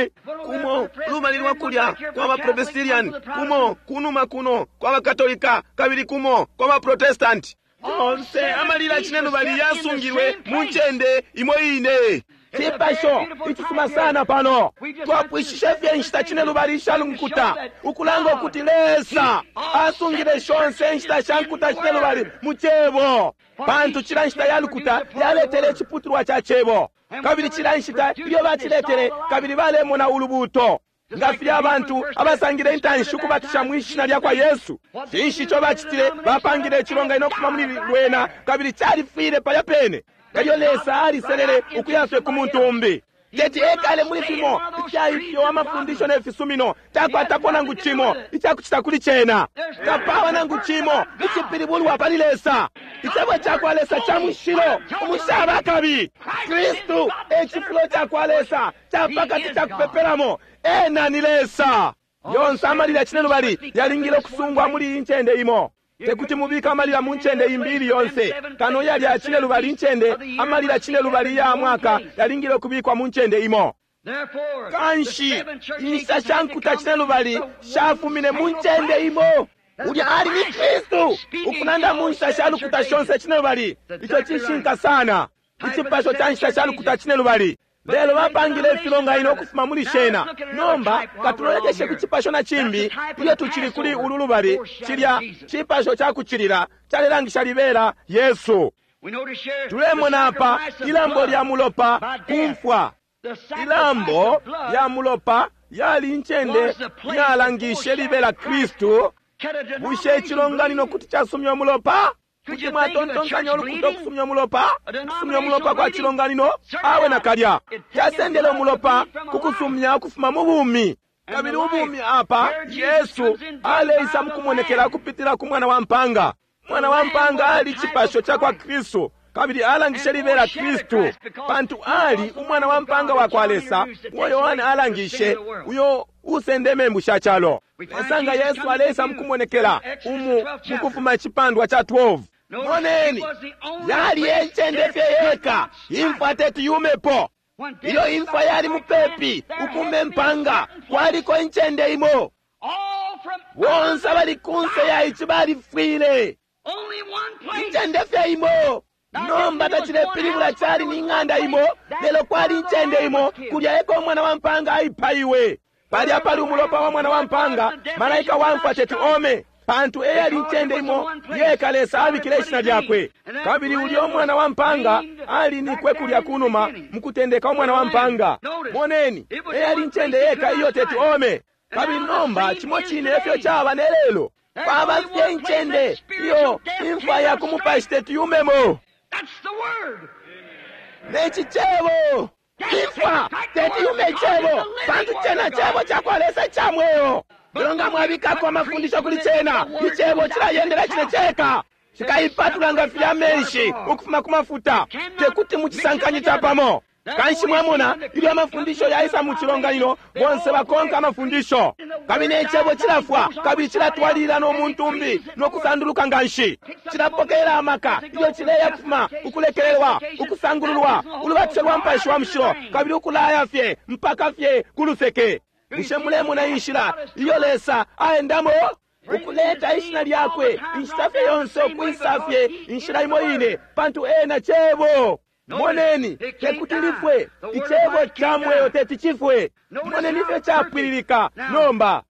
S1: kumo ulubali lwa kulya kwa ba Presbyterian, kumo kunuma kuno kwa ba Katolika, kabili kumo kwa ba Protestant. Yonse amalila cinelubali yasungilwe mu ncende imo ine. Cipasho icisuma sana pano. Twapwishishe fye inshita cinelubali isha nkuta, ukulanga ukuti Lesa asungile shonse inshita sha nkuta cinelubali mu cebo, pantu cila nshita ya lukuta yaletele iciputulwa ca cebo, kabili cila nshita ilyo baciletele kabili balemona ulubuuto. Nga filya abantu abasangile intanshi ukubatisha mwi shina lya kwa Yesu, cinshi ico bacitile? Bapangile icilonganino ukufuma muli lwena, kabili califwile palya pene. Elyo Lesa aliselele ukuyaswe ku muntu umbi. Teti ekale muli fimo ifya ifyo amafundisho ne fisumino. Takwatapo nangu cimo icakucita kuli cena. Tapaba nangu cimo icipilibulwa pali Lesa. Icebo cakwa Lesa ca mushilo, umushaba kabi. Kristu e cifulo cakwa Lesa ca pakati ca kupepelamo. Ena ni Lesa. Yonse amalila cinelubali yalingile ukusungwa muli iyi ncende imo. Tekuti mubike amalila mu ncende imbi ili yonse kano yalya cinelubali incende. Amalila cinelubali ya mwaka yalingile ukubikwa mu ncende imo. Kanshi inshita sha nkuta cinelubali shafumine mu ncende imo. Ulya ali ni Kristu ukulanda mu nshita sha lukuta shonse cinelubali. Ico cishinka sana, icipasho ca nshita sha lukuta cinelubali. Lelo bapangile ifilonganino ukufuma muli shena. Nomba katulolekeshe ku cipasho na cimbi ilyo tucili kuli ulu lubali. Cilya cipasho ca kucilila calelangisha libela Yesu. Tulemona apa ilambo lya mulopa kumfwa. Ilambo lya mulopa yali incende yalangishe libela Kristu. Bushe icilonganino kuti casumya umulopa? Kuti mwatontonkanya ulukuta ukusumya umulopa? Kusumya umulopa kwa cilonganino? Awe nakalya. Casendele umulopa ku kusumya ukufuma mu bumi. Kabili ubumi apa, Yesu aleisa mukumonekela kupitila ku mwana wa mpanga. Mwana wa mpanga ali cipasho ca kwa Kristu, kabili alangishe libela Kristu, pantu ali umwana wa mpanga wa kwa Lesa, uo Yohane alangishe, uyo usende membu sha calo. Esanga Yesu aleisa mukumonekela umu mukufuma icipandwa ca 12. Moneni, yali encende fye yeka imfwa teti yumepo. Ilyo imfwa yali mupepi ukume mpanga, kwaliko incende imo. Bonse abali kunse ya ici balifwile. Incende fye imo. Nomba tacilepilibula cali ni ng'anda imo, lelo kwali incende imo kulya eko umwana wa mpanga aipaiwe. Palya pali umulopa wa mwana wa mpanga, malaika wa mfwa teti ome, pantu eyali incende imo yeka Lesa abikile ishina lyakwe. Kabili ulya umwana wa mpanga alinikwe kulya kunuma mukutendeka umwana wa mpanga. Moneni, eyali incende yeka iyo teti ome. Kabili nomba cimo cine efyo caba ne lelo. Kwaba fye incende iyo imfwa ya ku mupashi teti yumemo. Neci cebo imfwa teti yume icebo, pantu cena cebo cakwa Lesa ica mweo. Lelo nga mwabikako amafundisho kuli cena, icebo cilayendela cine ceka, cikaipatula nga filya amenshi ukufuma ku mafuta, tekuti mucisankanye capamo. Kanshi mwamona ilyo amafundisho yaisa mu cilonganino, bonse bakonka amafundisho, kabili icebo cilafwa kabili cilatwalilila no muntu umbi no kusanduluka nganshi. Cilapokelela amaka ilyo cileya kufuma ukulekelelwa, ukusangululwa, ulubatisho lwa Mupashi wa Mushilo, kabili ukulaya fye mpaka fye ku luseke. Bushe mulemona inshila iyo Lesa aendamo? Ukuleta ishina lyakwe inshita fye yonse, ukwisa fye inshila imo ine, pantu ena cebo. Moneni, tekuti lifwe. Icebo ca mweo teti cifwe. Moneni ifyo capwililika. Nomba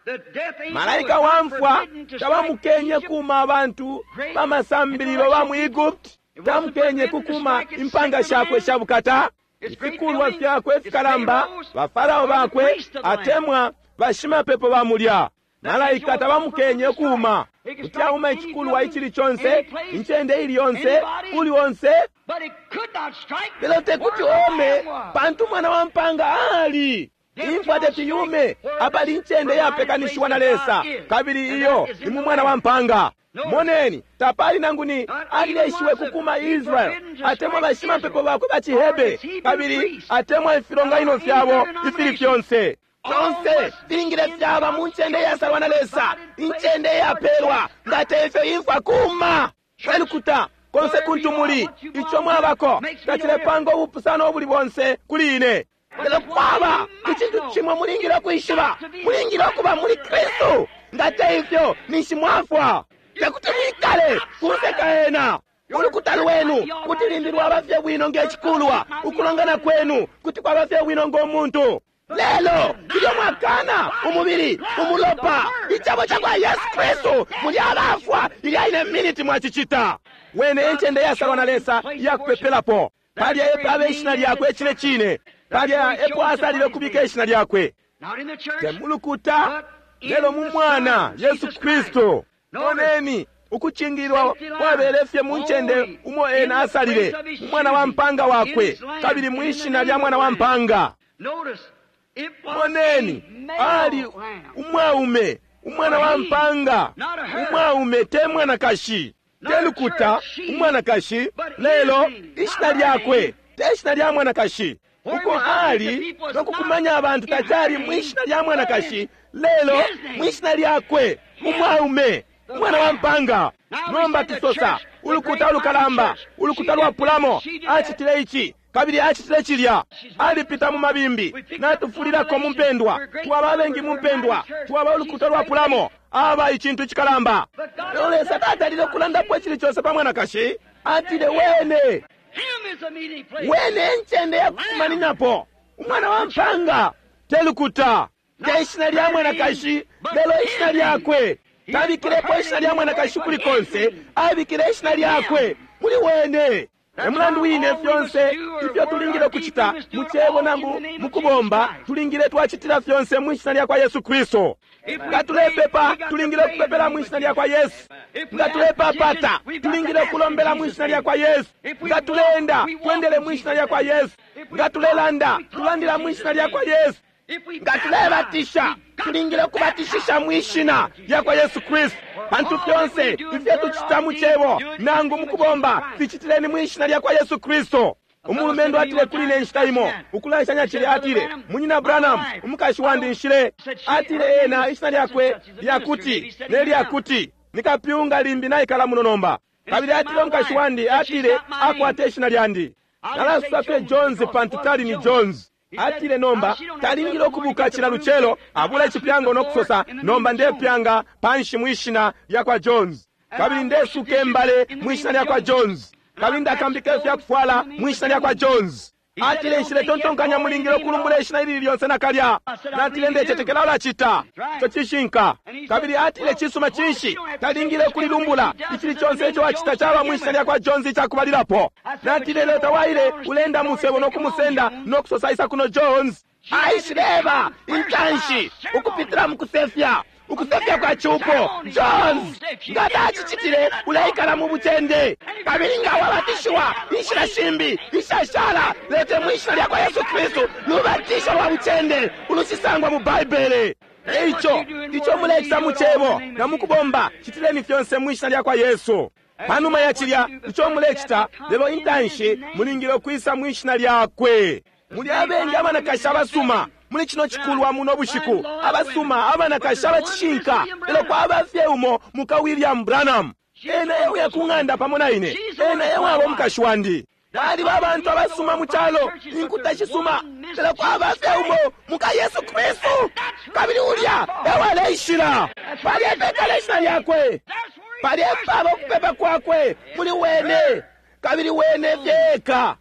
S1: malaika wa mfwa tabamukenye kuma abantu bamasambililo ba mu Egypt, tamukenye kukuma impanga shakwe sha bukata, ifikulwa fyakwe fikalamba, bafarao bakwe atemwa bashimapepo ba mulya. Malaika tabamukenye kuma. Kuti auma icikulwa icili conse, incende ili yonse, uli onse, lelo tekuti ome, pantu mwana wa mpanga ali. Imfwa teti yume apali incende yapekanishiwa na Lesa, kabili iyo ni mu mwana wa mpanga. Moneni, tapali nangu ni alileshiwe kukuma Israel atemwa bashimapepo bakwe ba ciHebere, kabili atemwa ifilonganino fyabo ifili fyonse. Fyonse filingile fyaba mu ncende iyasalwa na Lesa, incende iyapelwa. Nga tefyo imfwa kuma elukuta konse kuntu muli, ico mwabako tacilepanga ubupusano ubuli bonse kuli ine. Lelo kwaba icintu cimwe mulingile ukwishiba, mulingile ukuba muli Kristu. Nga teifyo ninshi mwafwa, tekuti mwikale kunse ka ena. Ulukuta lwenu kuti limbi lwaba fye bwino nge cikulwa, ukulongana kwenu kuti kwaba fye bwino ngo muntu. Lelo ilyo mwakana umubili, umulopa, icebo cakwa Yesu Kristu, muli abafwa ilya ine miniti mwacicita. Wene encende yasalwa na Lesa iyakupepelapo. Palya epo abe ishina lyakwe cine cine, palya epo asalile ukubika ishina lyakwe, te mulukuta lelo mu mwana Yesu Kristu. Moneni, ukucingililwa kwabele fye mu ncende umo ena asalile, umwana wa mpanga wakwe, kabili mwishina lya mwana wa mpanga. Moneni, ali umwaume, umwana wa mpanga, umwaume te mwanakashi, te lukuta, umwanakashi, lelo ishina lyakwe te shina lya mwanakashi. Uko ali nokukumanya abantu tacali mwishina lya mwanakashi, lelo mwishina lyakwe, umwaume, umwana wa mpanga. Nomba tusosa ulukuta ulukalamba, ulukuta lwapulamo, acitile ici kabili acitile cilya, alipita mu mabimbi, natufulilako mu mpendwa, twaba abengi mu mpendwa, twaba ulukuta lwapulamo, aba icintu icikalamba. Lelo Lesa tatalile ukulandapo icili conse pa mwanakashi, atile wene wene encende yakukumaninapo, umwana wa mpanga, te lukuta, te ishina lya mwanakashi, lelo ishina lyakwe. Tabikilepo ishina lya mwanakashi kuli konse, abikile ishina lyakwe muli wene. E mulandu wine fyonse ifyo tulingile kucita mu cebo nangu mu kubomba, tulingile twacitila fyonse mu ishina lya kwa Yesu Kristo. Nga tulepepa, tulingile kupepela mu ishina lya kwa Yesu. Nga tulepapata, tulingile kulombela mu ishina lya kwa Yesu. Nga tuleenda, twendele mu ishina lya kwa Yesu. Nga tulelanda, tulandila mu ishina lya kwa Yesu. Nga tulebatisha, tulingile kubatishisha mu ishina lya kwa Yesu Kristu. Pantu fyonse ifyo tucita mu cebo nangu mu kubomba, ficitileni mu ishina lya kwa Yesu Kristu. Umulumendo atile kuli ne nshita imo ukulanshanya cili, atile, Munyina Branham, umukashi wandi nshile. Atile ena ishina lyakwe lyakuti ne lyakuti, nikapyunga limbi naikala muno nomba. Kabili atile umukashi wandi, atile akwate ishina lyandi. Nalasusa fye Jones pantu tali ni Jones. Atile nomba talingile ukubuka cila lucelo abula icipyango no kusosa, nomba ndepyanga panshi mwishina lya kwa Jones, kabili ndesuka embale mwishina lya kwa Jones, kabili ndakambika ifyakufwala mwishina lya kwa Jones. Atile nshile tontonkanya mulingile ukulumbula ishina ilili lyonse nakalya. Natile ndecetekela ulacita ico cishinka. Kabili atile cisuma cinshi talingile kulilumbula icili conse ico wacita caba mwishina lya kwa Jones icakubalilapo. Natile lelo tawaile ulenda musebo no kumusenda no kusosa isa kuno Jones. Aishileba intanshi ukupitila mu kusefya, ukusefya kwa cupo. Jones, nga tacicitile uleikala mu bucende, kabili nga wabatishiwa inshila shimbi ishashala, lete mwishina lya kwa Yesu Kristu lubatisho lwa bucende ulushisangwa mu Baibele. Eico ico mulecita mu cebo na mukubomba, citileni fyonse mwishina lya kwa Yesu. Panuma ya cilya ico mulecita, lelo intanshi mulingile ukwisa mwishina lyakwe. Muli abengi abanakashi abasuma muli cino cikulwa muno bushiku, abasuma abanakashi abacishinka, lelo kwaba fye umo muka William Branham. Ena euya ku ng'anda pamo na ine, ena ewaba umukashi wandi. Baliba abantu abasuma mu calo, inkuta shisuma, lelo kwaba fye umo muka Yesu Kristu, kabili ulya ewaleishila. Palya epekala ishina lyakwe, palya epaba ukupepa kwakwe muli wene, kabili wene fyeka.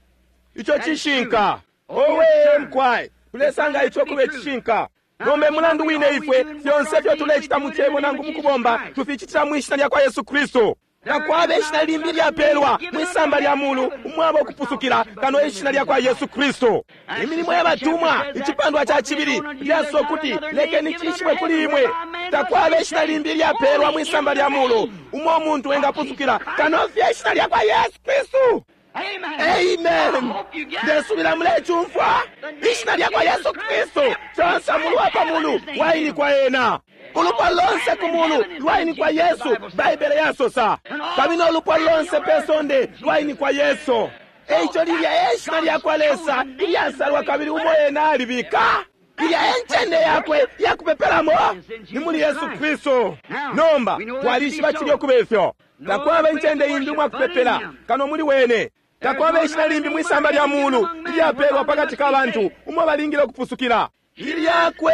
S1: Ico cishinka. Owe mkwai, tulesanga ico kube cishinka. Nomba mulandu wine ifwe fyonse fyo tulecita mu cebo nangu mukubomba tuficitila mwishina lya kwa Yesu Kristu. Takwaba ishina limbi lyapelwa mwisamba lya mulu umwaba ukupusukila kano ishina lya kwa Yesu Kristu. Imilimo ya batumwa icipandwa ca cibili lyasosa ukuti lekeni cishibwe kuli imwe, takwaba ishina limbi lyapelwa mwisamba lya mulu umo umuntu engapusukila kano fye ishina lya kwa Yesu Kristu. Amen. Ndesubila mulecumfwa ishina lya kwa Yesu Kristu. Conse mulu wa pa mulu wainikwa ena, ulupwa lonse ku mulu lwainikwa Yesu, Baibele yasosa. Kabili no lupwa lonse pe sonde lwainikwa Yesu. Eico lilya eshina lya kwa Lesa ilyasalwa kabili umo ena alibika. Ilya encende yakwe yakupepelamo ni muli Yesu Kristu. Nomba twalishiba cilya ukuba ifyo. Takwaba incende imbi umwakupepela kano muli wene. Takwaba ishina limbi mwisamba lya mulu ilyapelwa pakati ka bantu umo balingile ukupusukila. Ilyakwe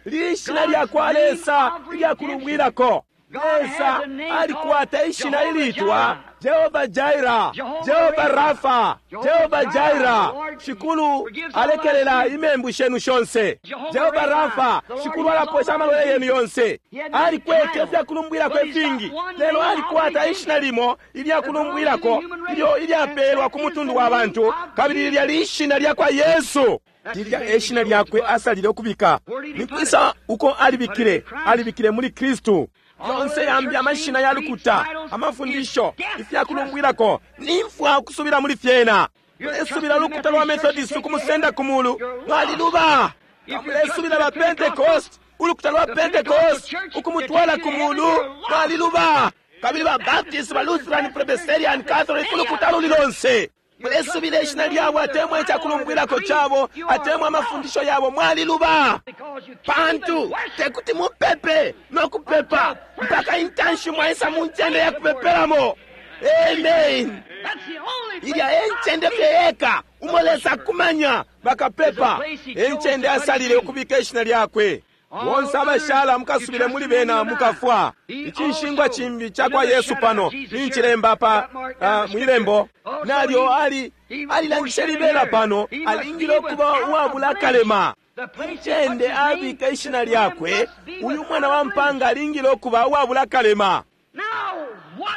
S1: lishina lya kwa Lesa ilyakulubwilako. Lesa alikwata ishina ilitwa Jehova Jaira, Jehova Rafa, Jehova Jaira. Shikulu alekelela imembu shenu shonse. Jehova Rafa, Shikulu alaposha amalwele yenu yonse. Alikwete ifyakulumbwilako ifingi, lelo alikwata ishina limo ilyakulumbwilako ilyo ilyapelwa ku mutundu wa bantu, kabili lilya lishina lya kwa Yesu. Lilya eshina lyakwe asalile ukubika. Ni kwisa uko alibikile? Alibikile muli Kristu. Yonse yambi amashina ya lukuta, amafundisho, ifyakulumbwilako, nimfwa ukusubila muli fyena. Mulesubila ulukuta lwa Methodist ukumusenda ku mulu, mwaliluba. Nga mulesubila ba Pentecost, ulukuta lwa Pentecost ukumutwala ku mulu, mwaliluba. Kabili ba Baptist, ba Lutheran, Presbyterian, Catholic, ulukuta luli lonse, mulesubila ishina lyabo atemwa icakulumbwilako cabo atemwa amafundisho yabo, mwaliluba. Pantu tekuti mupepe no kupepa mpaka intanshi mwaisa mu ncende ya kupepelamo. Amen. Ilya e ncende fye yeka umo Lesa akumanya bakapepa, e ncende asalile ukubika ishina lyakwe. Bonse abashala mukasubile muli bena mukafwa. Icinshingwa cimbi ca kwa Yesu pano nincilemba pa uh, mwilembo nalyo ali alilangishe libela pano, alingile ukuba uwabula akalema. Incende abika ishina lyakwe, uyu mwana wa mpanga alingile ukuba uwabula akalema.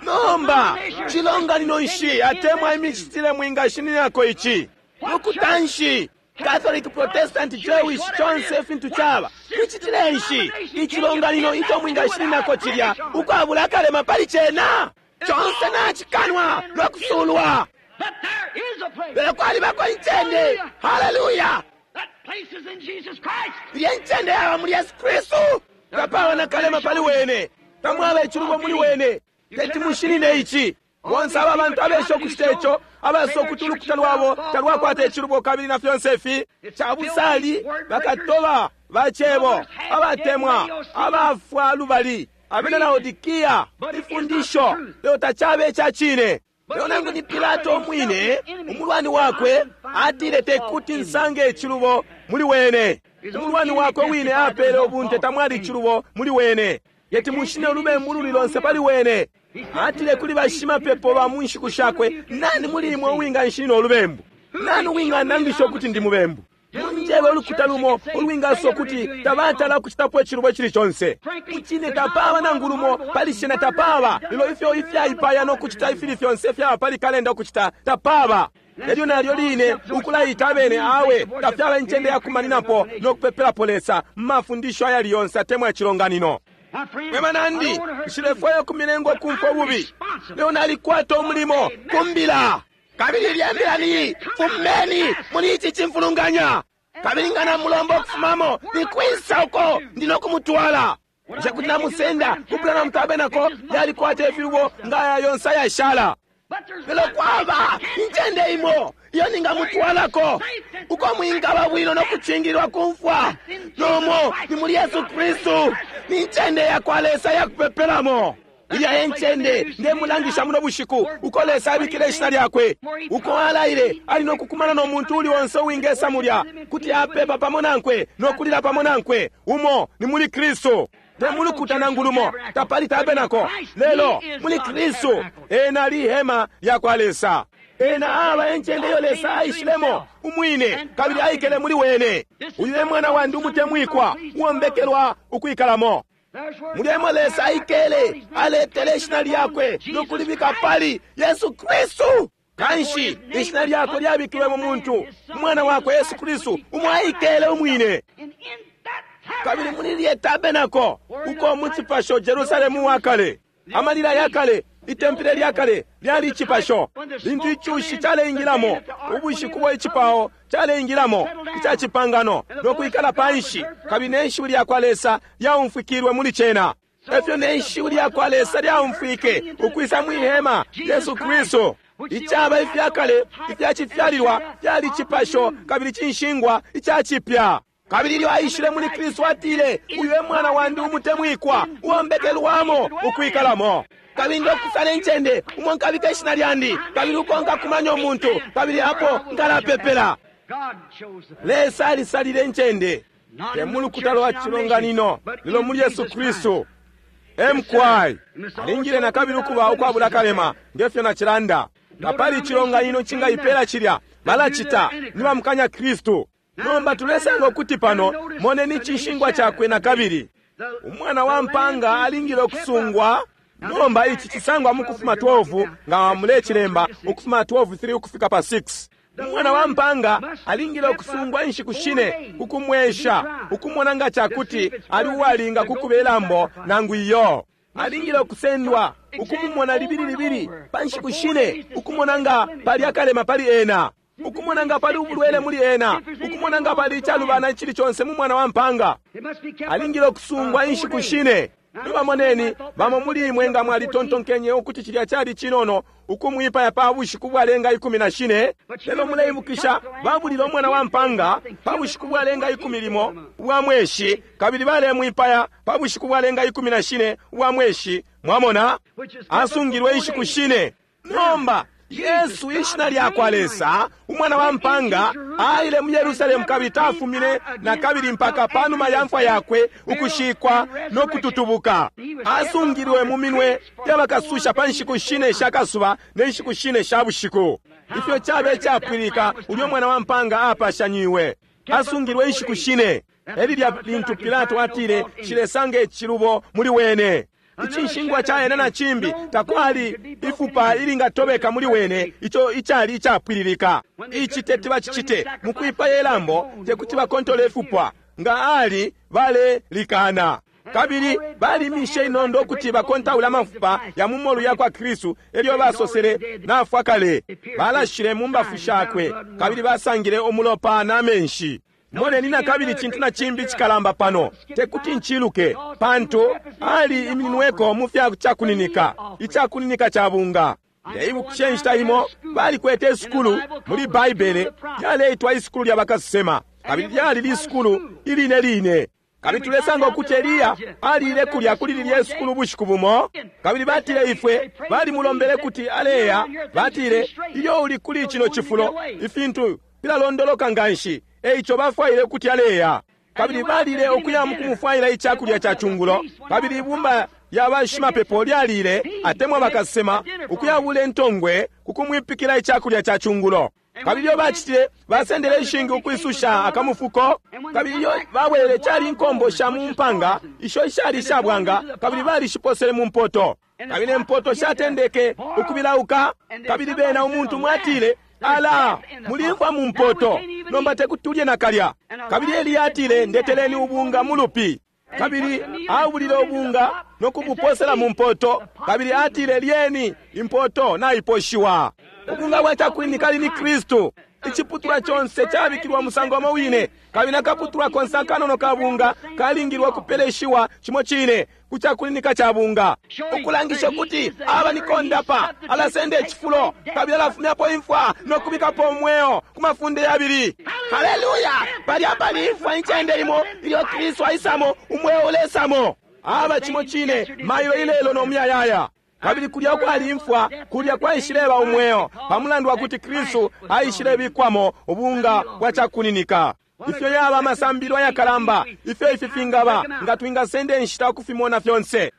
S1: Nomba cilonganino nshi atemwa imicitile mwingashininako ici? Lukuta nshi? Catholic, Protestant, Jewish, conse ifintu caba micitile nshi icilonganino ico mwingashininako cilya ukwabula akalema pali cena? Conse nacikanwa no kusulwa, lelo kwalibako incende. Haleluya! Ilya incende yaba muli Yesu Kristu. Tapaba na kalema pali wene, tamwaba icilubo muli wene. Teti mushinine ici. Bonse aba bantu abesha ukucita ico, abasosa ukuti ulukuta lwabo talwakwata icilubo kabili na fyonse ifi, cabusali bakatoba ba cebo, abatemwa abafwa lubali abena Laodikia, ifundisho, lelo tacaba ica cine. Lelo nangu ni Pilato umwine, umulwani wakwe, atile tekuti nsange icilubo muli wene. Umulwani wakwe wine apele ubunte tamwali icilubo muli wene. Yeti mushine ulubembu luli lonse pali wene. Atile kuli bashimapepo ba mu nshiku shakwe, nani muli imwe uwinganshinina ulubembu? Nani uwinganangisha ukuti ndi mubembu? Munjebe ulukuta lumo ulwingasosa ukuti tabatala kucitapo icilubo icili conse. Mucine tapaba nangu lumo pali cena, tapaba. Lelo ifyo ifyaipaya no kucita ifili fyonse fyaba pali kalenda ukucita, tapaba. Elyo nalyo line ukulaita abene, awe tafyaba incende ya kumaninapo no kupepelapo Lesa mu mafundisho ayali yonse atemwa icilonganino. Mwe banandi, nshilefwaya ukumilenga ukumfwa ububi, lelo nalikwata umulimo ku mbila. Kabili ilya mbila ni fumeni muli ici cimfulunganya. Kabili nga namulomba ukufumamo, ni kwisa uko ndi no kumutwala? Bushe kuti namusenda ku Branham Tabernacle yalikwata ifilubo nga aya yonse ayashala? Lelo kwaba incende imo iyo ningamutwalako, uko mwingaba bwino no kucingililwa ku mfwa, nomo ni muli Yesu Kristu. Ni ncende ya kwa Lesa ya kupepelamo. Ilya e ncende ndemulangisha muno bushiku, uko Lesa abikile ishina lyakwe, uko alaile ali no kukumana no muntu uli onse uwingesa mulya, kuti apepa pamo nankwe no kulila pamo nankwe. Umo ni muli Kristu, te mulukuta nangu lumo, tapali tabenako, lelo muli Kristu. Ena ali ihema lya kwa Lesa. Ena aba encende iyo Lesa aishilemo umwine kabili aikele muli wene. Uyu e mwana wandi umutemwikwa, uwombekelwa ukwikalamo. Mulya emo Lesa aikele, aletele ishina lyakwe no kulibika pali Yesu Kristu. Kanshi ishina lyakwe lyabikilwe mu muntu, umwana wakwe Yesu Kristu, umo aikele umwine. Kabili muli lye tabenako, uko mu cipasho Jerusalemu wa kale, amalila ya kale, itempele lya kale lyali icipasho. Lintu icushi caleingilamo, ubushiku bwa icipao caleingilamo ica cipangano no kwikala panshi, kabili ne shiwi lya kwa Lesa lyaumfwikilwe muli cena. Efyo ne shiwi lya kwa Lesa lyaumfwike ukwisa mwi hema, Yesu Kristu. Icaba ifya kale ifya cifyalilwa fyali icipasho kabili cinshingwa ica cipya. Kabili ilyo aishile muli Kristu atile, uyu e mwana wandi umutemwikwa, uwombekelwamo ukwikalamo. Kabili ndokusala incende umo nkabika ishina lyandi, kabili uko nkakumanya umuntu, kabili apo nkalapepela. Lesa alisalile incende, te mu lukuta lwa cilonganino, lelo muli Yesu Kristu. Mqy alingile na kabili ukuba ukwabula kalema, nge fyo nacilanda. Tapali icilonganino cingaipela cilya, balacita ni bamukanya Kristu. Nomba tulesanga ukuti pano, moneni icinshingwa cakwe na kabili. Umwana wa mpanga alingile ukusungwa. Nomba ici cisangwa mu Kufuma 12, nga mulecilemba, Ukufuma 12:3 ukufika pa 6. Umwana wa mpanga alingile ukusungwa inshiku shine ku kumwesha, ukumona nga cakuti ali uwalinga ku kube lambo nangu iyo. Alingile ukusendwa, ukumumona libili libili pa nshiku shine, ukumona nga pali akalema pali ena. Ukumona nga pali ubulwele muli ena, ukumona nga pali icalubana icili conse mu mwana wa mpanga. Alingile ukusungwa inshiku shine. Nomba moneni, bamo muli imwe nga mwalitontonkenye ukuti cilya cali cinono ukumwipaya pa bushiku bwalenga 14, lelo muleibukisha babulile umwana wa mpanga pa bushiku bwalenga 11 ubwa mweshi, kabili balemwipaya pa bushiku bwalenga 14 ubwa mweshi. Mwamona, asungilwe inshiku shine. Nomba Yesu, ishina lyakwa Lesa, umwana wa mpanga, aile mu Yerusalemu kabili tafumine na kabili mpaka panuma ya mfwa yakwe, ukushikwa no kututubuka. Asungilwe mu minwe yabakasusha pa nshiku shine sha kasuba ne nshiku shine sha bushiku. Ifyo cabe capwilika ulyo mwana wa mpanga apashanyiwe. Asungilwe inshiku shine. Elilya lintu Pilato atile, "Nshilesanga icilubo muli wene." Icinshingwa ca ena na cimbi, takwali ifupa ilingatobeka muli wene, ico icali icapwililika. Ici teti bacicite mukwipaya ilambo, tekuti bakontole ifupwa nga ali balelikana. Kabili balimishe inondo ukuti bakontaule amafupa ya mu molu yakwa Kristu, elyo basosele, "Nafwa kale." Balashile mu mbafu shakwe, kabili basangile umulopa na menshi. Moneni na kabili cintu na cimbi cikalamba pano, tekuti nciluke, pantu ali imininweko mu fya cakuninika, icakuninika ca bunga. Ndeibukisha inshita imo balikwete isukulu muli Baibele lyaleitwa isukulu lya bakasesema, kabili lyali lisukulu iline line. Kabili tulesanga ukuti Eliya aliile kulya kuli lilya isukulu ubushiku bumo, kabili batile ifwe balimulombele kuti aleya. Batile, "Ilyo uli kuli cino cifulo, ifintu filalondoloka nganshi." Eico bafwaile ukuti aleya. Kabili balile ukuya mukumufwaila icakulya ca cungulo, kabili ibumba lya bashimapepo lyalile, atemwa bakasesema, ukuyabula intongwe kukumwipikila icakulya ca cungulo. Kabili ilyo bacitile, basendele ishingi ukwisusha akamufuko. Kabili ilyo babwelele, cali inkombo sha mu mpanga isho ishali ishabwanga, kabili balishiposele mu mpoto. Kabili impoto shatendeke ukubilauka. Kabili bena umuntu mwatile, "Ala, mulimfwa mu mpoto, nomba tekuti tulye nakalya." Kabili Eliya atile, "Ndeteleni ubunga mu lupi." Kabili abulile ubunga no kubuposela mu mpoto, kabili atile, "Lyeni, impoto naiposhiwa." Ubunga bwa cakuninika ali ni Kristu. Iciputulwa conse cabikilwa musango umo wine, kabili nakaputulwa konse akanono ka bunga kalingilwa kupeleshiwa cimo cine ku cakuninika ca bunga, ukulangisha ukuti aba ni kondapa, alasenda icifulo kabili alafumyapo imfwa no kubikapo umweo ku mafunde yabili. Haleluya! Palya pali imfwa incende imo, ilyo Kristu aisamo, umweo ulesamo. Aba cimo cine mailo, ilelo no muyayaya. Kabili kulya kwali imfwa, kulya kwaishileba umweo, pa mulandu wa kuti Kristu aishilebikwamo ubunga bwa cakuninika. Ifyo yaba amasambilo ayakalamba, ifyo ifi fingaba, nga twingasenda inshita ukufimona fyonse.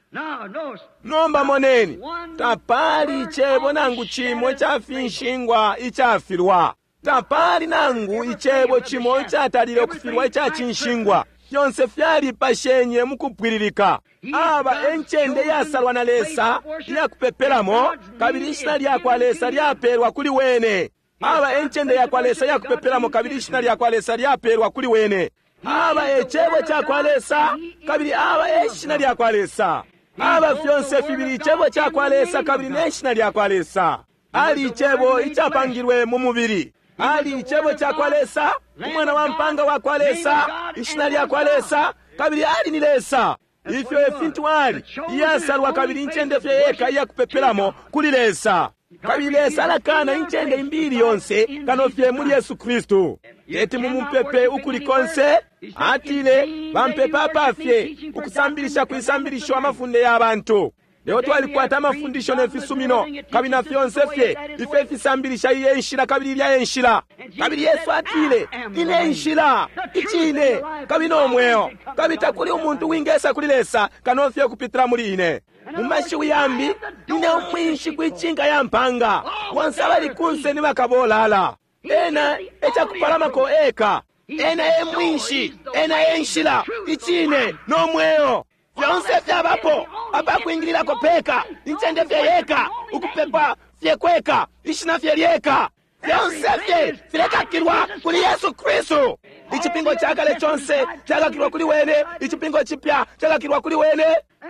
S1: Nomba moneni, tapali icebo nangu cimo ica finshingwa icafilwa. Tapali nangu icebo cimo icatalile ukufilwa ica cinshingwa. Fyonse fyalipashenye mukupwililika. Aba encende iyasalwa na Lesa iyakupepelamo, kabili ishina lyakwa Lesa lyapelwa kuli wene. Aba encende yakwa Lesa iyakupepelamo, kabili ishina lyakwa Lesa lyapelwa kuli wene. Aba ecebo cakwa Lesa, kabili aba eshina lyakwa Lesa. Aba fyonse fibili icebo cakwa Lesa kabili ne shina lyakwa Lesa. Ali icebo icapangilwe mu mubili. Ali icebo cakwa Lesa, umwana wa mpanga wakwa Lesa, ishina lyakwa Lesa, kabili ali ni Lesa. Ifyo efintu ali, iyasalwa kabili incende fye yeka iyakupepelamo kuli Lesa. Kabili Lesa alakana incende imbili yonse kano fye muli Yesu Kristu. Teti mumupepe ukuli konse. Atile, "Bampepa apafye, ukusambilisha kwisambilisho amafunde ya bantu." Lelo twalikwata amafundisho ne fisumino, kabili na fyonse fye ifyo ifisambilisha iye nshila kabili ilya nshila. Kabili Yesu atile, "Ine nshila, icine, kabili no mweo, kabili takuli umuntu wingesa kuli Lesa kano fye kupitila muli ine." Mu mashiwi yambi, ine umwinshi kwicinka ya mpanga, bonse abali kunse ni bakabolala. Ena ecakupalamako eka. Ena e mwinshi, ena e nshila, icine no mweo. Fyonse fyabapo apakwingililako peka, incende fye yeka, ukupepa fye kweka, ishina fye lyeka. Fyonse fye filekakilwa kuli Yesu Kristu. Icipingo ca kale conse cakakilwa kuli wene, icipingo cipya cakakilwa kuli wene,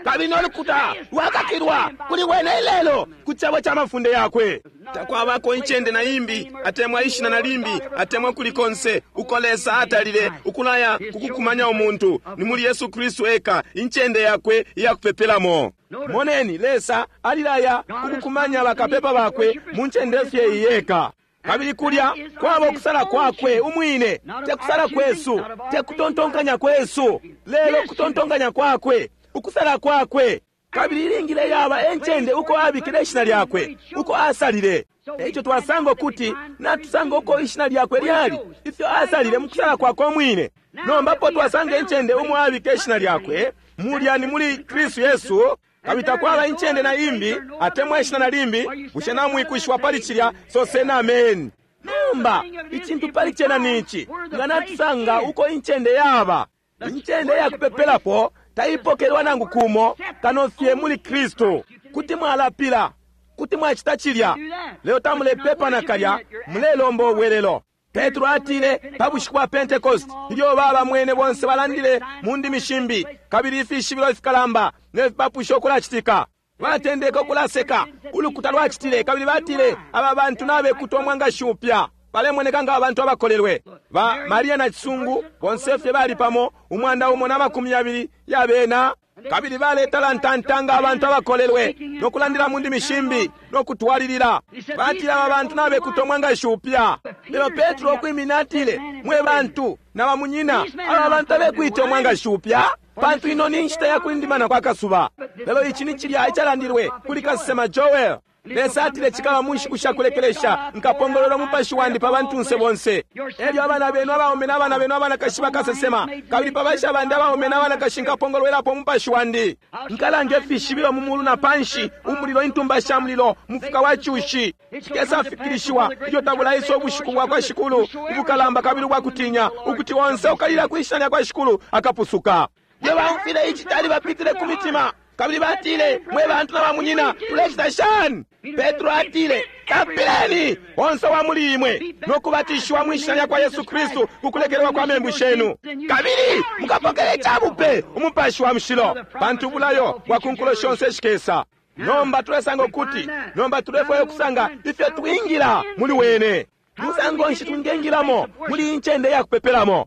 S1: kabili no lukuta lwakakilwa kuli wene ilelo ku cebo ca mafunde yakwe. Takwabako incende na imbi atemwa ishina na limbi atemwa kuli konse uko Lesa atalile ukulaya kukukumanya umuntu, ni muli Yesu Kristu eka, incende yakwe iyakupepelamo. Moneni, Lesa alilaya kukukumanya bakapepa bakwe mu ncende fye iyi yeka. Kabili kulya kwaba ukusala kwakwe umwine, te kusala kwesu, te kutontonkanya kwesu, lelo kutontonkanya kwakwe, ukusala kwakwe. Kabili ilingile yaba encende uko abikile ishina lyakwe, uko asalile. Eico twasanga ukuti natusanga uko ishina lyakwe lyali, ifyo asalile mu kusala kwakwe umwine. Nomba po twasanga incende umo abike ishina lyakwe, mulya ni muli Kristu Yesu. Kabili takwaba incende na imbi atemwa ishina na limbi. Bushe namwikwishiwa pali cilya? Soseni ameni. Nomba icintu pali cena ni ici, nga natusanga uko incende yaba, incende ya kupepelapo taipokelwa nangu kumo kano fye muli Kristu. Kuti mwalapila, kuti mwacita cilya, lelo tamulepepa nakalya, mulelomba ubwelelo. Petro atile pa bushiku bwa Pentecost, ilyo baba mwene bonse balandile mu ndimi shimbi, kabili ifishibilo ifikalamba ne fipapusho kulacitika, batendeke ukulaseka. Ulukuta lwacitile, kabili batile aba bantu nabekutwa umwangashi upya, balemoneka nga abantu abakolelwe. Ba Maria na Cisungu bonse fye bali pamo 120 yabena, kabili baletalantanta nga abantu abakolelwe no kulandila mu ndimi shimbi no kutwalilila. Batile aba bantu nabekutwa umwangashi upya. Lelo Petro ukwimina atile, mwe bantu na bamunyina, aba bantu abekwita umwangashi upya, pantu ino ni nshita ya kulindimana kwa kasuba. Lelo ici ni cilya icalandilwe kuli kasesema Joel. Lesa atile cikaba mu nshiku sha kulekelesha, nkapongolola umupashi wandi pa bantunse bonse. Elyo abana benu abaume na bana benu abanakashi bakasesema, kabili pa basha bandi abaume na abanakashi nkapongolwelapo umupashi wandi. Nkalanga ifishibilo mu mulu na panshi, umulilo, intumba sha mulilo, mufuka wa cushi. Cikesafikilishiwa ilyo tabulaisa ubushiku bwa kwa Shikulu ubukalamba kabili ubwakutinya, ukuti onse ukalila kwi shina lya kwa Shikulu akapusuka. Mwe baumfile ici cali bapitile ku mitima, kabili batile, mwe bantu na bamunyina, tulecita shani? Petro atile, kapileni onse wa muli imwe no kubatishiwa mwi shina lya kwa Yesu Kristu kukulekelelwa kwa membu shenu, kabili mukapokele icabupe umupashi wa mushilo, pantu ubulayo bwa ku nkulo shonse shikesa. Nomba tulesanga ukuti, nomba tulefwaya ukusanga ifyo twingila muli wene. Musango nshi twingengilamo muli incende ya kupepelamo?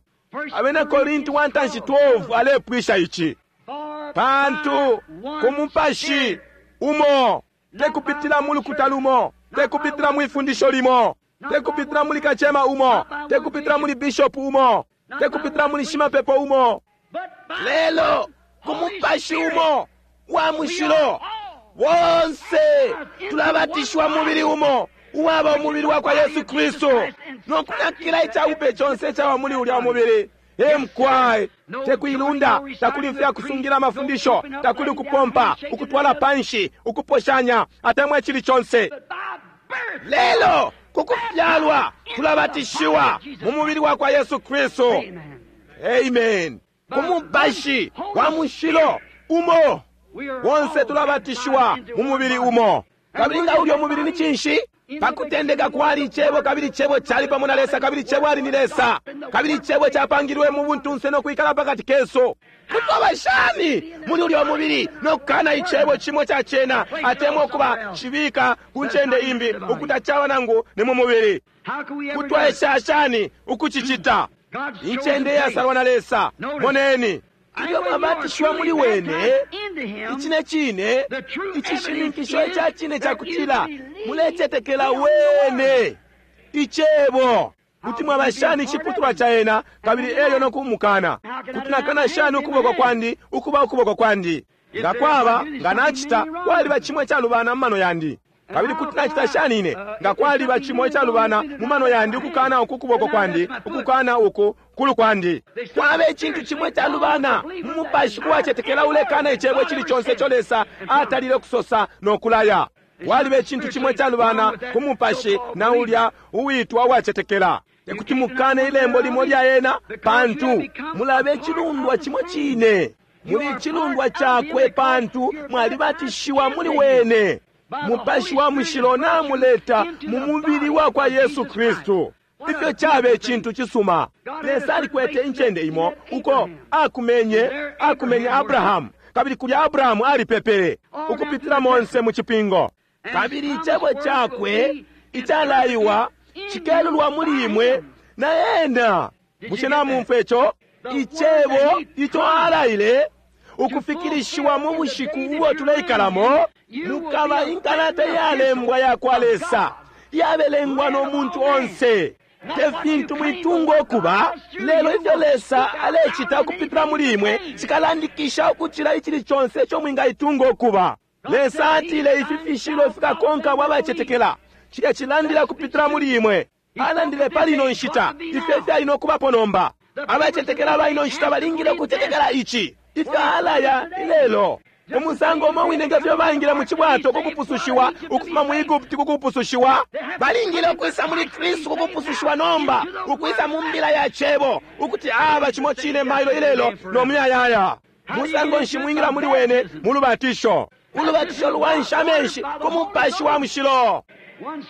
S1: Abena Korinti 1:12 alepwisha ici, pantu ku mupashi umo, tekupitila mu lukuta lumo, tekupitila mu ifundisho limo, tekupitila muli kacema umo, tekupitila muli bishop umo, tekupitila muli shimapepo umo, lelo ku mupashi umo wa mushilo bonse tulabatishiwa mubili umo, uwaba umubili wa kwa Yesu Kristu, no kunakila icabupe conse icaba muli ulya mubili. Emkwai tekuilunda, takuli ifya kusungila amafundisho, takuli ukupompa, ukutwala panshi, ukuposhanya atemwa icili conse. Lelo kukufyalwa tulabatishiwa mu mubili wa kwa Yesu Kristu. Amen. Ku mupashi wa mushilo umo bonse tulabatishiwa mu mubili umo. Kabili nga ulyo mubili ni cinshi? Pakutendeka kwali Icebo, kabili Icebo cali pamo na Lesa, kabili Icebo ali ni Lesa, kabili Icebo capangilwe mu buntunse no kwikala pakati kesu. Kutwaba shani muli ulyo mubili no kukana Icebo cimo ca cena, atemwa ukuba cibika ku ncende imbi ukutacaba nangu ni mu mubili? Kutwaesha shani ukucicita? Incende iyasalwa na Lesa. Moneni, ilyo mwabatishiwa muli wene, icine cine icishininkisho ica cine cakutila mulecetekela wene Icebo. Kuti mwaba shani iciputulwa ca ena, kabili elyo no kumukana? Kuti nakana shani ukuboko kwandi ukuba ukuboko kwandi? Nga kwaba nga nacita, kwaliba cimo icalubana mu mano yandi. Kabili kuti nacita shani ine nga kwaliba cimo icalubana mu mano yandi ukukana uku kuboko kwandi, ukukana uku kulu kwandi? Kwaba icintu cimo icalubana mu mupashi kuwacetekela ulekana Icebo icili conse ico Lesa atalile kusosa no kulaya. Kwaliba icintu cimo icalubana ku mupashi na ulya uwitwa uwacetekela. Tekuti mukane ilembo limo lya ena, pantu mulabe icilundwa cimo cine. Muli icilundwa cakwe pantu mwalibatishiwa muli wene. Mupashi wa mushilo namuleta mu mubili wa kwa Yesu Kristu. Ifyo cabe icintu cisuma. Lesa alikwete incende imo uko akumenye Abrahamu, kabili kulya Abrahamu alipepele ukupitila monse mu cipingo. Kabili icebo cakwe Icalaiwa cikelulwa muli imwe na ena. Bushe namumfwa ico? Icebo ico alaile ukufikilishiwa mu bushiku ubo tuleikalamo, mukaba inkalata iyalembwa ya kwa Lesa, iyabelengwa no muntu onse. Te fintu mwitunga ukuba, lelo ifyo Lesa alecita ukupitila muli imwe cikalandikisha ukucila icili conse ico mwingaitunga ukuba. Lesa atile ifi fishilo fikakonka abo abacetekela. Cilya cilandila kupitila muli imwe. Alandile pali ino nshita ifyo ifyali no kubapo nomba. Abacetekela aba ino nshita balingile ukucetekela ici ifyo alaya ilelo. Umusango umo wine nge fyo baingile mu cibwato ku kupusushiwa ukufuma mu Egupti ku kupusushiwa, balingile ukwisa muli Kristu ku kupusushiwa nomba, ukwisa mu mbila ya cebo ukuti aba cimo cine mailo ilelo no muyayaya. Musango nshi mwingila muli wene? Mu lubatisho. Ulubatisho lwansha amenshi ku Mupashi wa Mushilo.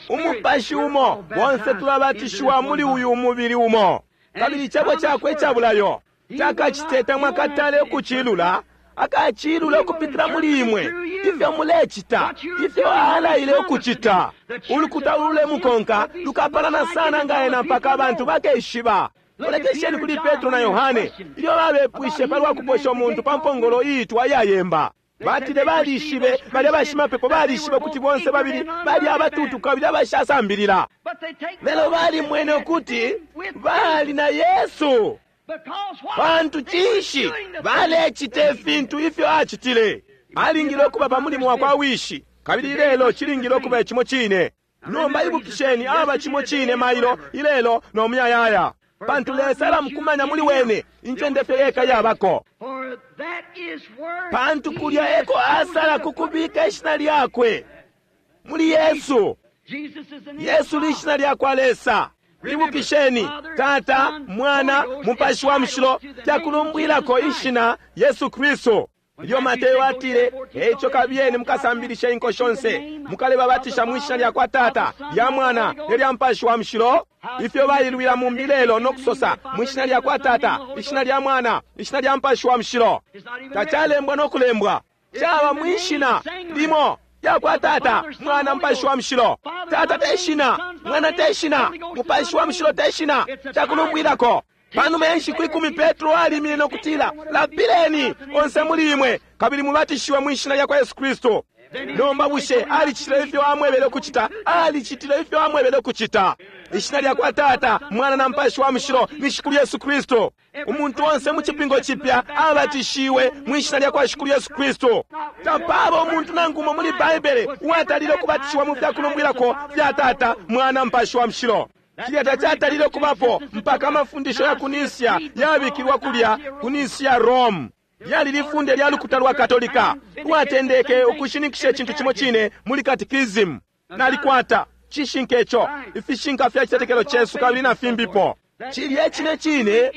S1: Umupashi umo, bonse tulabatishiwa muli uyu mubili umo. Kabili icebo cakwe ica bulayo takacite, tamwakatale ukucilula, akacilula ukupitila muli imwe, ifyo mulecita, ifyo alaile ukucita. Ulukuta ululemukonka lukapalana sana nga ena mpaka abantu bakeshiba. Lolekesheni kuli Petro na Yohane ilyo babepwishe palwa kuposha umuntu pa mpongolo iitwa iyayemba. Batile balishibe, balya bashimapepo balishibe ukuti bonse babili bali abatutu kabili abashasambilila. Lelo balimwene ukuti bali na Yesu. Pantu cinshi? Balecita ifintu ifyo acitile. Alingile ukuba pa mulimo wa kwa Wishi, kabili ilelo cilingile ukuba cimo cine. Nomba ibukisheni, aba cimo cine mailo, ilelo, no muyayaya. Pantu Lesa alamukumanya muli wene, incende fye yeka yabako. Pantu kulya eko asala kukubika ishina lyakwe muli Yesu. Yesu lishina lya kwa Lesa. Ibukisheni, Tata, Mwana, Mupashi wa Mushilo fyakulumbwilako ishina Yesu Kristu. Ilyo Mateo atile, eico kabiyeni mukasambilishe inko shonse, mukalebabatisha mwi shina lya kwa Tata, lya Mwana, ne lya Mupashi wa Mushilo. Ifyo bailwila mumbi lelo no kusosa mwi shina lya kwa Tata, ishina lya Mwana, ishina lya Mupashi wa Mushilo. Tacalembwa no kulembwa. Caba mwi shina limo lya kwa Tata, Mwana, Mupashi wa Mushilo. Tata te shina, Mwana te shina, Mupashi wa Mushilo te shina, cakulumbwilako. Panuma ya nshiku 10 Petro alimine no kutila, lapileni onse muli imwe kabili mubatishiwe mwi shina lya kwa Yesu Kristu. Nomba bushe alicitile ifyo amwebele ukucita? Alicitile ifyo amwebele ukucita. Ishina lya kwa Tata, Mwana na Mupashi wa Mushilo ni Shikulu Yesu Kristu. Umuntu onse mu cipingo cipya abatishiwe mwi shina lya kwa Shikulu Yesu Kristu. Tapaba umuntu nangu umo muli Baibele uwatalile ukubatishiwa mu fyakulumbwilako fya Tata, Mwana, Mupashi wa Mushilo. Cilya tacatalile ukubapo mpaka amafundisho ya kunisia yabikilwa kulya kunisia Rome. Lyali lifunde lya lukuta lwa Katolika lwatendeke ukushininkisha icintu cimo cine muli katikisimu. Nalikwata cishinka ico, ifishinka fya citetekelo cesu kabili na fimbipo. Cilya cine cine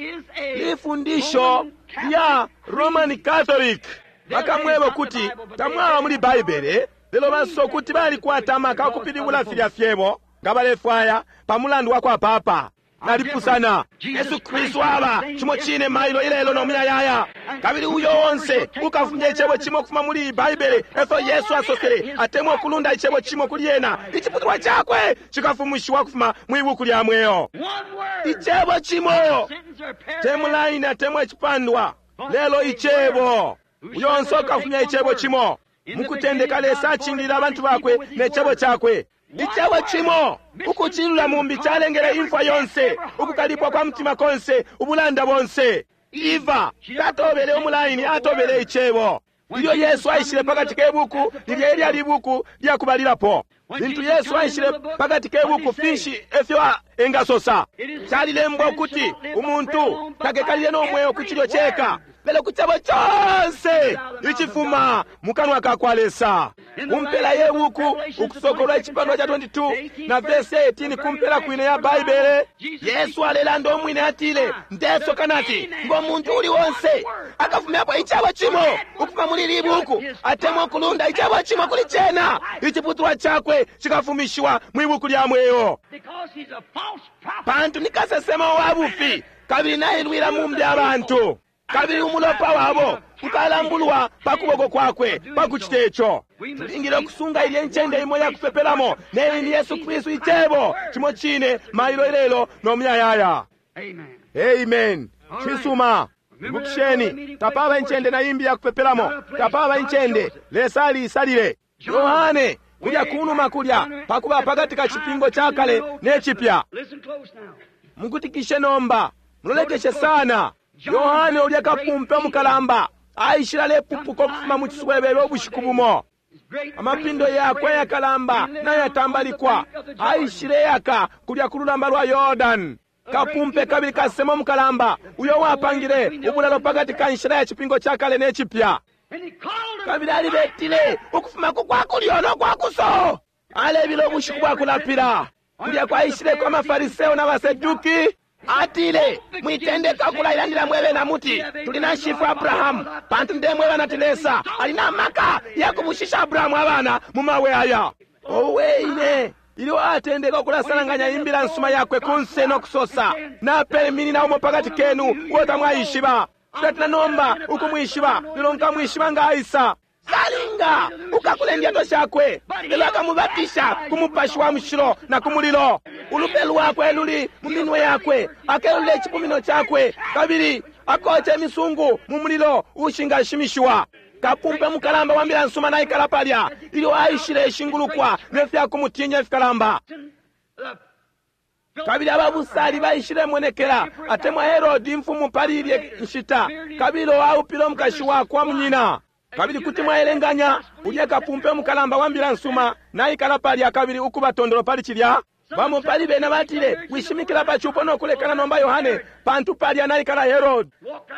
S1: lifundisho lya Roman Catholic. Bakamweba ukuti tamwaba muli Baibele, lelo basosa ukuti balikwata amaka ukupilibula filya fyebo nga balefwaya pa mulandu wa kwa Papa. Nalipusana. Yesu Kristu aba cimo cine mailo ilelo no muyayaya. Kabili uyo onse ukafumya icebo cimo ukufuma muli Baibele, efyo Yesu asosele, atemwa ukulunda icebo cimo kuli ena, iciputulwa cakwe cikafumishiwa kufuma mwi buku lya mweo. Icebo cimo, te mulaini atemwa icipandwa, lelo icebo. Uyo onse ukafumya icebo cimo. Mukutendeka Lesa acingilila abantu bakwe ne cebo cakwe. Icebo cimo ukucilula mumbi calengele imfwa yonse, ukukalipwa kwa mutima konse, ubulanda bonse. Eva tatobele umulaini, atobele icebo. Ilyo Yesu aishile pakati ke buku, lilya elyali ibuku lya kubalilapo. Lintu Yesu aishile pakati ke buku, finshi efyo engasosa? Calilembwa ukuti umuntu takekalile no mweo ku cilyo ceka, lelo ku cebo conse icifuma mu kanwa ka kwa Lesa. Kumpela ye buku, Ukusokolwa icipandwa ca 22 na verse 18, kumpela kwine ya Baibele, Yesu alelanda umwine atile, ndesoka nati ngo muntu uli onse akafumyapo icebo cimo ukufuma muli ili buku, atemwa ukulunda icebo cimo kuli cena, iciputulwa cakwe cikafumishiwa mwi buku lya mweo. Pantu ni kasesema wa bufi kabili nailwila mumbi abantu. Kabili umulopa wabo ukalambulwa pa kuboko kwakwe pa kucite ico. Tulingile ukusunga ilye ncende imo yakupepelamo, neyi ni Yesu Kristu, Icebo cimo cine mailo, ilelo no muyayaya. Amen. Cisuma. Ibukisheni, tapaba incende na imbi yakupepelamo, tapaba incende. Lesa aliisalile. Yohane kulya kunuma kulya pakuba pakati ka cipingo ca kale ne cipya. Mukutikishe nomba, mulolekeshe sana. Yohane ulya kapumpe mukalamba aishile alepupuka ukufuma mu ciswebebe ubushiku bumo, amapindo yakwe ayakalamba nayatambalikwa, aishile yaka kulya ku lulamba lwa Yordani. Kapumpe kabili kasemo mukalamba uyo wapangile ubulalo pakati ka nshila ya cipingo ca kale ne cipya. Kabili alibetile ukufuma ku kwakulyo no kwakuso, alebila ubushiku bwa kulapila. Kulya kwaishileko amafariseo na baseduki. Atile, mwitendeka ukulailandila mwebe na muti tuli na shifwe Abrahamu, pantu ndemweba nati Lesa ali na maka ya kubushisha Abrahamu abana mu mabwe aya. Owe ine! Ilyo atendeka ukulasalanganya imbila nsuma yakwe kunse no kusosa, napeminina umo pakati kenu uo tamwaishiba. Tatina nomba ukumwishiba, lelo nkamwishiba nga aisa. Salinga ukakula indyato shakwe, lelo akamubatisha ku Mupashi wa Mushilo na ku mulilo. Ulupe lwakwe luli mu minwe yakwe, akelula icipumino cakwe, kabili akoca imisungu mu mulilo ushingashimishiwa. Kapumpe mukalamba wa mbila nsuma naikala palya ilyo aishile ishingulukwa ne fya kumutinya ifikalamba. Kabili ababusali baishilemonekela, atemwa Herodi imfumu pali ilye nshita, kabili aupile umukashi wakwa munyina. Kabili kuti mwaelenganya ulya kapumpe mukalamba wa mbila nsuma naikala palya kabili ukuba tondolo pali cilya. Bamo pali bena batile, wishimikila pa cupo no kulekana nomba, Yohane, pantu palya naikala Herod.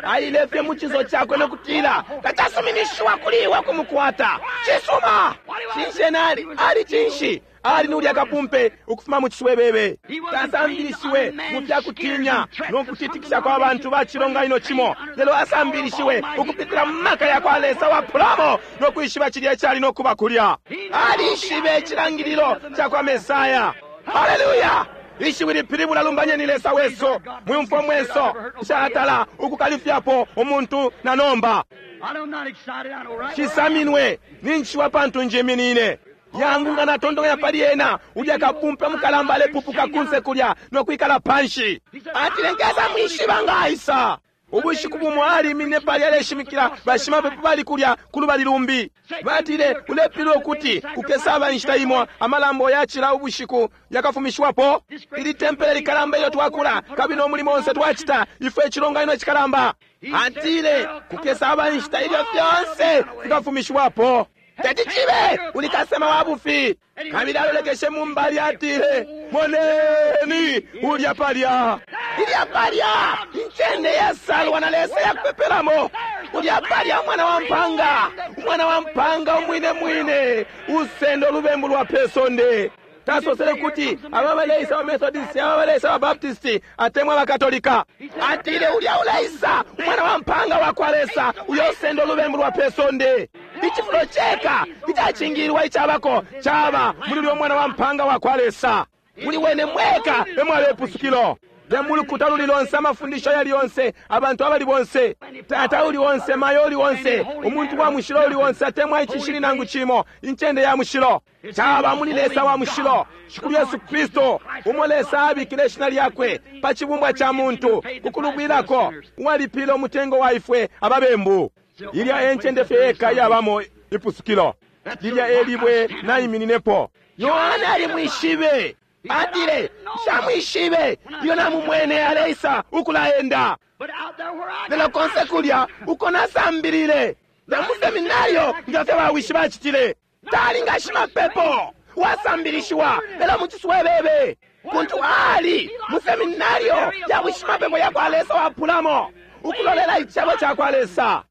S1: Aile fye mu cinso cakwe no kutila, tacasuminishiwa kuli iwe kumukwata. Cisuma. Cinshi ena ali? Ali cinshi? Ali ni ulya kapumpe ukufuma mu ciswebebe. Tasambilishiwe mu fya kutinya no kutitikisha kwa bantu ba cilonganino cimo, lelo asambilishiwe ukupitila mu maka ya kwa Lesa wapulamo no kwishiba cilya icali no kuba kulya. Alishibe icilangililo ca kwa Mesaya. Haleluya! Ishiwi lipilibula lumbanyeni Lesa wesu. Mwiumfwa mwenso, nshatala ukukalifyapo umuntu na nomba. Shisaminwe ninjishiwa pantu njiminine. Yangu nga natontonkanya pali ena, ulya kapumpe mukalamba alepupuka kunse kulya no kwikala panshi. Atile, nkesa mwishiba nga aisa. Ubushiku bumo alimine palya aleshimikila, bashimapepo bali kulya ku lubali lumbi. Batile, ulepilwa ukuti kukesaba inshita imo amalambo yacila ubushiku yakafumishiwapo. Ili tempele likalamba ilyo twakula, kabili no mulimo onse twacita, ifwe icilonganino cikalamba. Atile, kukesaba inshita ilyo fyonse fikafumishiwapo. Teti cibe, uli kasema wa bufi. Kabili alolekeshe mu mbali, atile, moneni ulya palya, ilya palya incende yasalwa na Lesa yakupepelamo. Ulya palya umwana wa mpanga, umwana wa mpanga umwine mwine usendo lubembu lwa pe sonde. Tasosele kuti aba baleisa ba Methodist, aba baleisa ba Baptist, atemwa Bakatolika. Atile, ulya uleisa umwana wa mpanga wa kwa Lesa uyo usendo lubembu lwa pe sonde. Icifulo ceka icacingililwa icabako caba muli ulya mwana wa mpanga wa kwa Lesa. Muli wene mweka emwaba ipusukilo. Te mulukuta luli lonse, amafundisho yali yonse, abantu abali bonse, tata uli onse, mayo uli onse, umuntu wa mushilo uli onse, atemwa icishili nangu cimo, incende ya mushilo caba muli Lesa wa mushilo, Shikulu Yesu Kristu, umo Lesa abikile ishina lyakwe pa cibumbwa ca muntu kukulubwilako, uwalipile umutengo wa ifwe ababembu. Ilya e ncende fye yeka iyabamo ipusukilo. Lilya e libwe naimininepo. Yohane alimwishibe. Atile, nshamwishibe ilyo namumwene aleisa ukulaenda, lelo konse kulya uko nasambilile na mu seminario nga fye bawishi bacitile. Tali nga shimapepo wasambilishiwa, lelo mu ciswebebe kuntu ali mu seminario ya bushimapepo ya kwa Lesa wapulamo, ukulolela icebo ca kwa Lesa.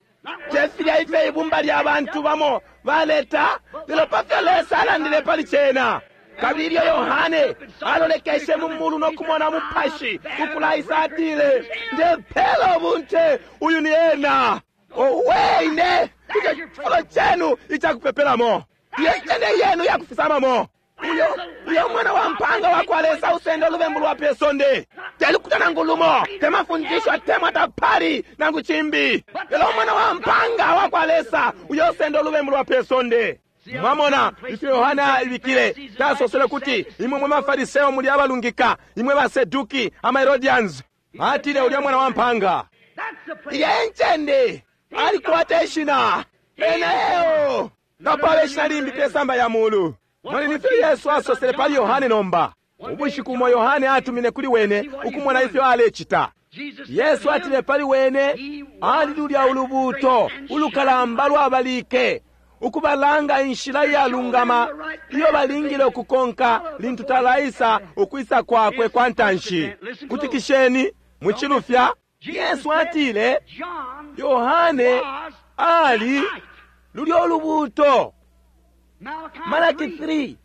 S1: Te filya ifyo ibumba lya bantu bamo baleta, lelo pa fyo Lesa alandile pali cena. Kabili ilyo Yohane alolekeshe mu mulu no kumona Mupashi ukulaisa, atile, ndepela ubunte, uyu ni ena. Owe ine! Ico cifulo cenu icakupepelamo, iyo ncende yenu yakufisamamo. Uyo, uyo mwana wa mpanga wa kwa Lesa usenda ulubembu lwa pe sonde. Telukuta nangu lumo, temafundisho atemwa tapali nangu chimbi. Lelo umwana wa mpanga wa kwa Lesa uyo usenda ulubembu lwa pe sonde. Mwamona ifyo Yohana ibikile tasosele kuti imwe mwe mafariseo muli abalungika, imwe baseduki ama Herodians. Atile ulya mwana wa mpanga. Ilya encende alikwata ishina ena eo tapaba ishina limbi pe samba ya mulu. Mwali nifyo Yesu asosele pali Yohane nomba. Ubushiku umo Yohane atumine kuli wene ukumona ifyo alecita. Yesu atile pali wene ali lulya ulubuuto ulukalamba lwabalike ukubalanga inshila iyalungama iyo balingile ukukonka lintu talaisa ukwisa kwakwe kwa ntanshi. Kutikisheni mucilufya. Yesu atile Yohane ali lulyo lubuuto. Malaki 3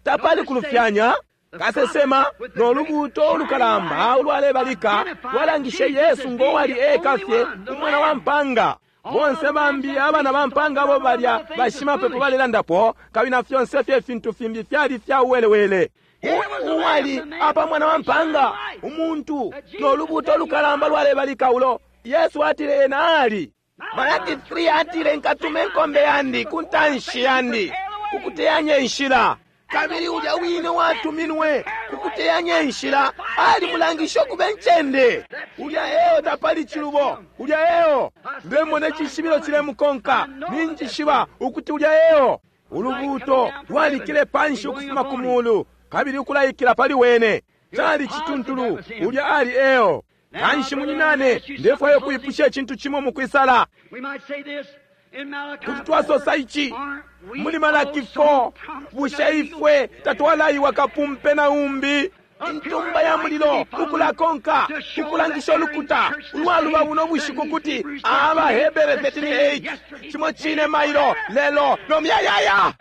S1: tapali kulufyanya. Kasesema no lubuuto ulukalamba ulwalebalika lwalangishe Yesu ngo wali eka fye umwana wa mpanga. Bonse bambi abana ba mpanga abo balya bashimapepo balelandapo, kabili na fyonse fye fintu fimbi fyali fya uwelewele. Uwali apa mwana wa mpanga umuntu no lubuuto ulukalamba lwalebalika ulo Yesu atile ena ali. Malaki 3 atile nkatume inkombe yandi ku ntanshi yandi kukuteyanya inshila. Kabili ulya wine watuminwe kukuteyanya inshila alimulangisha ukuba incende. Ulya eo tapali chilubo, ulya eo ndemona icishibilo cilemukonka, ninjishiba ukuti ulya eo. Ulubuuto lwalikile panshi ukufuma ku mulu kabili ukulaikila pali wene. Cali cituntulu, ulya ali eo. Kanshi munyinane, ndefwayo kuipusha icintu cimo mukwisala. Kuti twasosa ici muli Malaki 4, bushe ifwe tatwalaiwa kapumpe na umbi intumba ya mulilo ukulakonka ukulangisha ulukuta ulwaluba buno bushiku kuti Abahebere 13:8 cimo cine mailo lelo no myayaya.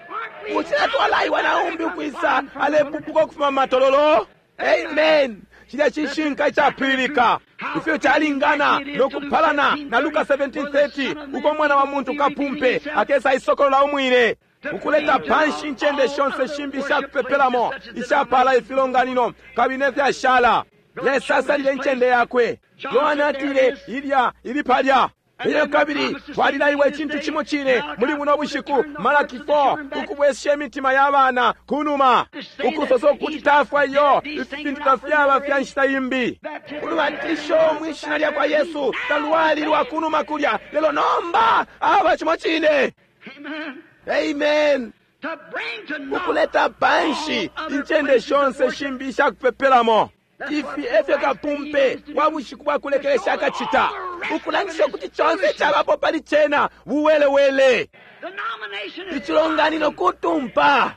S1: Bushe tatwalaiwa na umbi ukwisa alepupuka ukufuma matololo? Amen. Cilya cishinka icapwililika ifyo calingana no kupalana na Luka 17:30 uko mwana wa muntu kapumpe akesa isokolola umwine ukuleta panshi incende shonse shimbi ishakupepelamo ishapala ifilonganino kabili nefyashala. Lesa asalile incende yakwe. Yohane atile ilya ili palya. Ilyo kabili twalilaiwa icintu cimo cine muli buno bushiku Malaki 4 ukubwesha imitima ya bana kunuma ukusosa ukuti tafwa iyo ifi fintu tafyaba fya nshita imbi. Ulubatisho mwishina lya kwa Yesu talwali lwa kunuma kulya, lelo nomba aba cimo cine. Amen. Ukuleta panshi incende shonse shimbi ishakupepelamo. Ifi efyo kapumpe wa bushiku bwa kulekelesha akacita ukulangisha ukuti conse cabapo pali cena buwelewele. Icilonganino kutumpa,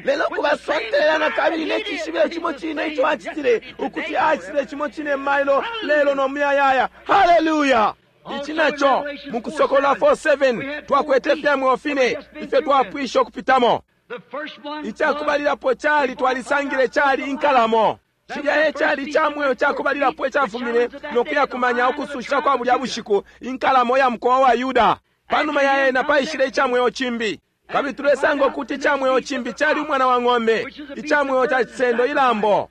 S1: lelo kubasontelela na kabili ne cishibilo cimo cine ico acitile ukuti acitile cimo cine mailo lelo no muyayaya. Haleluya! Ici naco mu Kusokolola 4:7 twakwete fya mweo fine ifyo twapwisha ukupitamo. Icakubalilapo cali twalisangile cali inkalamo. Cilya cali ca mweo cakubalilapo icafumine no kuyakumanya ukususha kwa bulya bushiku, inkalamo ya mukowa wa Yuda. Panuma ya ena paishile ica mweo cimbi, kabili tulesanga ukuti ica mweo cimbi cali umwana wa ng'ombe, ica mweo ca cisendo ilambo.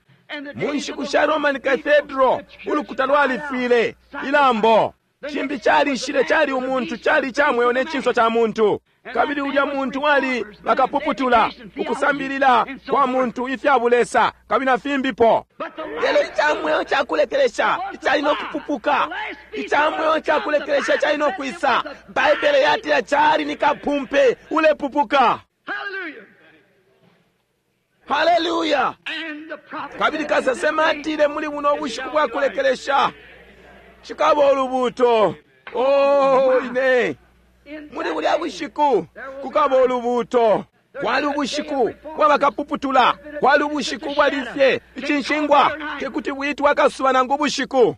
S1: Mu nshiku sha Roman Cathedral ulukuta lwalifwile ilambo. Cimbi calishile cali umuntu, cali ica mweo ne cinso ca muntu. Kabili ulya muntu wali bakapuputula ukusambilila kwa muntu ifya bulesa kabili na fimbipo. Lelo ica mweo cakulekelesha icali no kupupuka, ica mweo cakulekelesha cali no kwisa. Baibele yatila cali ni kapumpe ulepupuka. Haleluya! Kabili kasesema atile muli buno bushiku bwa kulekelesha cikaba ulubuuto. Oh, ine muli bulya bushiku kukaba ulubuuto. Kwali ubushiku bwabakapuputula, kwali ubushiku bwalifye icinshingwa tekuti bwitwa akasuba nangu ubushiku.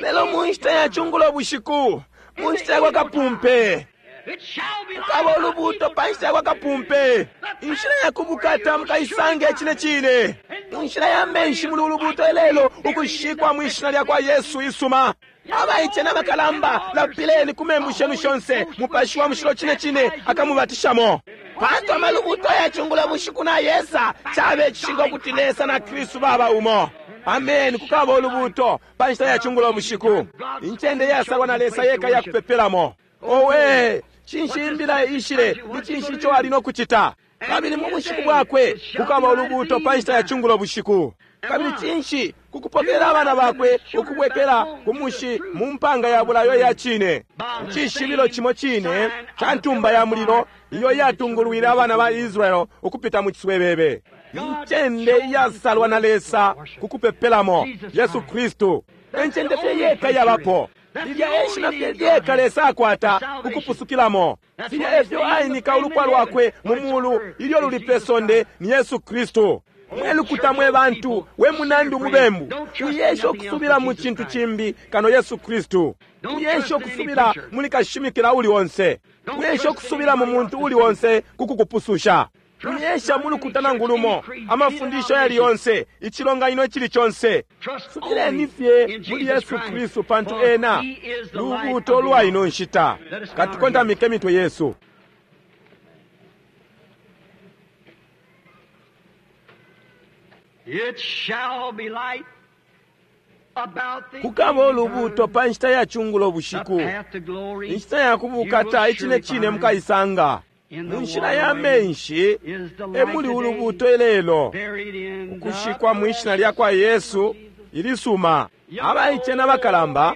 S1: Lelo mu nshita ya cungulo bushiku, mu nshita ya kwa kapumpe, kukaba ulubuuto pa nshita ya kwa kapumpe. Inshila ya kubukata mukaisange cine cine mu nshila ya menshi muli ulubuuto ilelo, ukushikwa mwi shina lya kwa Yesu isuma. Abaice n'abakalamba lapileni ku membu shenu shonse, Mupashi wa Mushilo cine cine akamubatishamo. Pantu amalubuto ya cungulo bushiku na yesa, cabe cishinka ukuti Lesa na Kristu baba umo. Ameni. Kukaba ulubuto pa nshita ya cungulo bushiku, incende iyasalwa na Lesa yeka ya kupepelamo. Owe, cinshi imbila ishile? Ni cinshi ico ali no kucita? Kabili mu bushiku bwakwe kukaba ulubuto pa nshita ya cungulo bushiku. Kabili cinshi? Kukupokelela abana bakwe ukubwekela ku mushi mu mpanga ya bulayo ya cine. Icishibilo cimo cine ca ntumba ya mulilo iyo yatungulwile abana ba Israel ukupita mu ciswebebe. Incende iyasalwa na Lesa kukupepelamo, Yesu Kristu. Encende fye yeka yabapo. Lilya e shina fye lyeka Lesa akwata ukupusukilamo. Filya efyo ainika ulupwa lwakwe mu mulu ilyo luli pe sonde ni Yesu Kristu. Mwe lukuta mwe bantu, we munandi umubembu, uyesha ukusubila mu cintu cimbi kano Yesu Kristu. Uyesha ukusubila muli kashimikila uli onse. Uyesha ukusubila mu muntu uli onse kukukupususha. Uyesha mu lukuta nangu lumo, amafundisho yali yonse, icilonganino icili conse. Subileni fye muli Yesu Kristu, pantu ena lubuuto lwa ino nshita. Katukontamike mitwe yesu.
S2: It shall be light about the
S1: Kukaba ulubuuto pa nshita ya cungulo bushiku,
S2: The path to glory
S1: inshita ya kubukata icine cine mukaisanga. Mu nshila ya menshi e muli ulubuuto ilelo,
S2: buried in
S1: ukushikwa mu ishina lya kwa Yesu ilisuma. Abaice na bakalamba,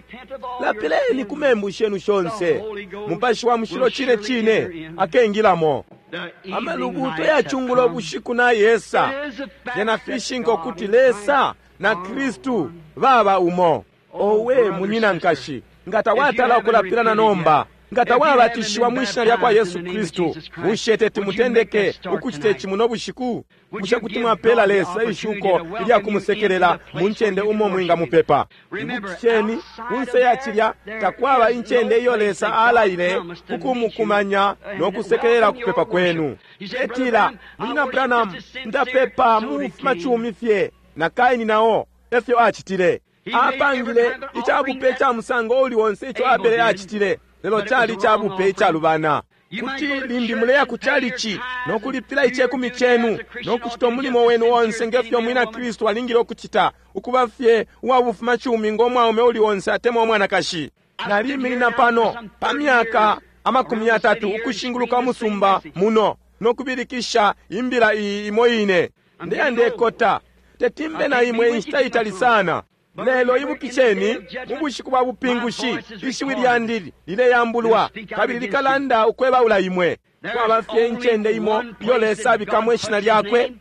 S1: lapileni ku membu shenu shonse. Mupashi wa mushilo cine cine akengilamo.
S2: the evening
S1: Amalubuuto
S2: light
S1: ya
S2: have
S1: cungulo
S2: come.
S1: bushiku na yesa
S2: It is a fact
S1: yena
S2: that
S1: fishinka
S2: God
S1: ukuti
S2: and
S1: Lesa na
S2: Christ
S1: Kristu baba umo. Owe munyina nkashi, nga tawatala ukulapila na nomba, nga tawabatishiwa mu ishina lya kwa Yesu Kristu, bushe teti mutendeke ukucita ici muno bushiku? Bushe kuti mwapela Lesa ishuko ilya kumusekelela mu ncende umo mwingamupepa? Ibukisheni, kunse ya cilya takwaba incende iyo Lesa alaile kukumukumanya no kusekelela kupepa kwenu. Etila, munyina Branham, ndapepa mu bufumacumi fye, na Kaini nao efyo acitile. Apangile icabupe ca musango uli onse ico Abele acitile, lelo cali icabupe icalubana. Kuti limbi muleya ku calici no kulipila icekumi cenu no kucita umulimo wenu onse ngefyo mwina Kristu alingile ukucita, ukuba fye uwa bufumacumi ngo mwaume uli onse atemwa umwanakashi. Naliminina pano pa myaka 30 ukushinguluka umusumba muno no kubilikisha imbila iyi imo ine. Ndeya ndekota, tetimbe na imwe inshita itali sana. Lelo ibukisheni, mu bushiku bwa bupingushi ishiwi lyandi lileyambulwa kabili likalanda ukwebaula imwe. Kwaba fye incende imo iyo Lesa abikamo ishina lyakwe,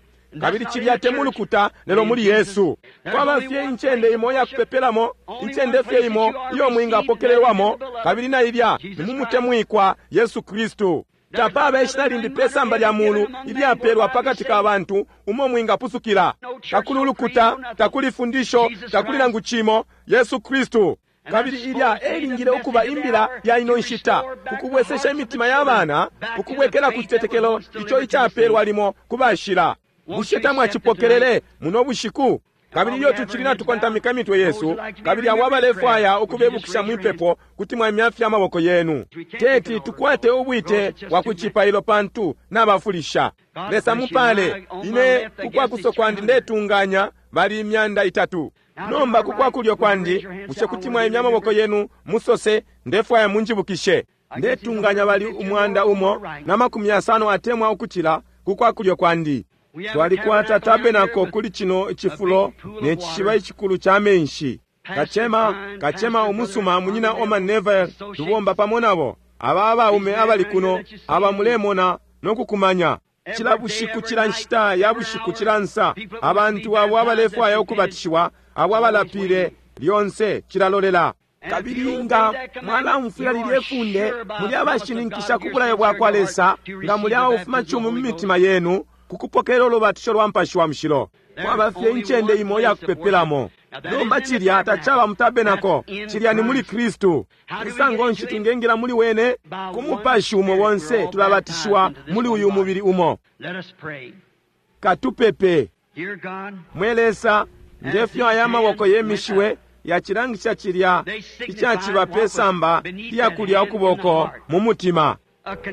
S1: kabili cilya te mu lukuta lelo muli Yesu. Kwaba fye incende imo iya kupepelamo, incende fye imo iyo mwingapokelelwamo, kabili na ilya ni mu mutemwikwa Yesu Kristu. Tapaba ishina limbi pe samba lya mulu ilyapelwa pakati ka bantu umo mwingapusukila. Takuli ulukuta, takuli fundisho, takuli nangu cimo, Yesu Kristu. Kabili ilya elingile ukuba imbila ya ino nshita, ukubwesesha imitima ya bana, ukubwekela ku citetekelo ico icapelwa limo ku bashila. Bushe tamwacipokelele muno bushiku? Kabili ilyo tucili natukontamika imitwe yesu, kabili abo abalefwaya ukubebukisha mwipepo, kuti mwaimya amaboko yenu. Teti tukwate ubwite bwa ku cipailo pantu nabafulisha. Lesa mupale, ine kukwakuso kwandi ndetunganya bali 300. Nomba kukwakulyo kwandi, bushe kuti mwaimya amaboko yenu musose, ndefwaya munjibukishe. Ndetunganya bali 150 atemwa ukucila kukwakulyo kwandi. Twalikwata tabenako kuli cino cifulo ne cishiba icikulu ca menshi. Kacema, kacema umusuma munyina Oman Neville, tubomba pamo nabo. Aba abaume abali kuno, aba mulemona no kukumanya. Cila bushiku, cila nshita ya bushiku, cila nsa, abantu abo abalefwaya ukubatishiwa, abo abalapile lyonse cilalolela. Kabili nga mwalaumfwila lilye funde, muli abashininkisha ku bulayo bwa kwa Lesa, nga muli abafumacumi mu mitima yenu, kukupokelela ulubatisho lwa Mupashi wa Mushilo. Kwaba fye incende imo iya kupepelamo. Nomba cilya tacaba mu tabenako, cilya ni muli Kristu. Musango nshi twingengila muli wene? Ku Mupashi umo bonse tulabatishiwa muli uyu mubili umo.
S2: Let us pray.
S1: Katupepe.
S2: Dear God,
S1: Mwe Lesa, ngefyo aya maboko yemishiwe yacilangisha cilya icaciba pe samba lya kulya ukuboko mu mutima.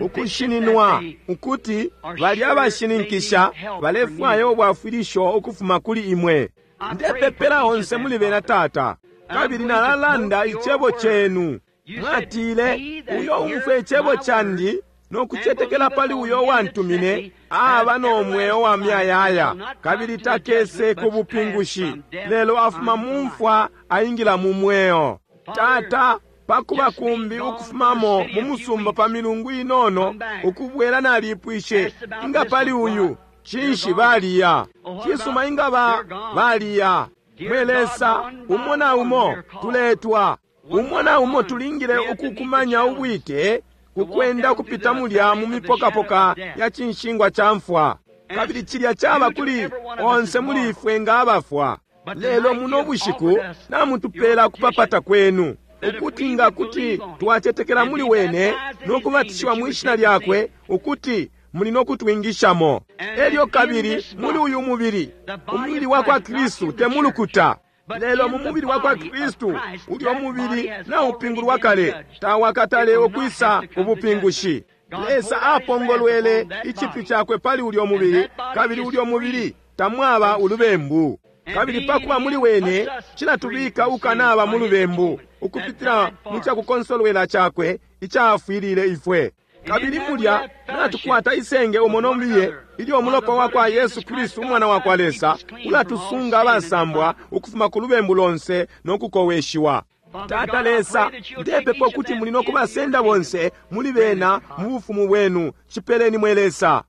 S1: Ukushininwa ukuti bali abashininkisha balefwaya ubwafwilisho ukufuma kuli imwe. Ndepepela onse muli bena, Tata, kabili nalalanda icebo cenu. Mwatile, uyo umfwe icebo candi no kucetekela pali uyo wantumine aba no mweo wa myayaya, kabili takese ku bupingushi, lelo afuma mu mfwa aingila mu mweo. Tata, pakuba kumbi ukufumamo mu musumba pa milungu inono ukubwela, nalipwishe inga pali uyu cinshi baliya. Cisuma, inga ba baliya. Mwe Lesa, umo na umo tuletwa, umo na umo tulingile ukukumanya ubwite kukwenda kupita mulya mu mipokapoka ya cinshingwa ca mfwa, kabili cilya caba kuli onse muli ifwe nga abafwa. Lelo muno bushiku namutupela kupapata kwenu, ukuti nga kuti twacetekela muli wene no kubatishiwa mwi shina lyakwe, ukuti muli no kutwingishamo. Elyo kabili muli uyu mubili, umubili wa kwa Kristu, te mulukuta, lelo mu mubili wa kwa Kristu, ulyo mubili naupingulwa kale, tawakatale ukwisa ubupingushi. Lesa apongolwele icipyu cakwe pali ulyo mubili, kabili ulyo mubili tamwaba ulubembu. Kabili pakuba muli wene, cilatubika ukanaba mu lubembu ukupitila mu cakukonsolwela cakwe icafwilile ifwe. Kabili mulya natukwata isenge umo nombiye, ilyo umulopa wa kwa Yesu Kristu umwana wa kwa Lesa ulatusunga abasambwa ukufuma ku lubembu lonse no kukoweshiwa. Tata Lesa, ndepepa ukuti muli no kubasenda bonse muli bena mu bufumu bwenu. Cipeleni, mwe Lesa.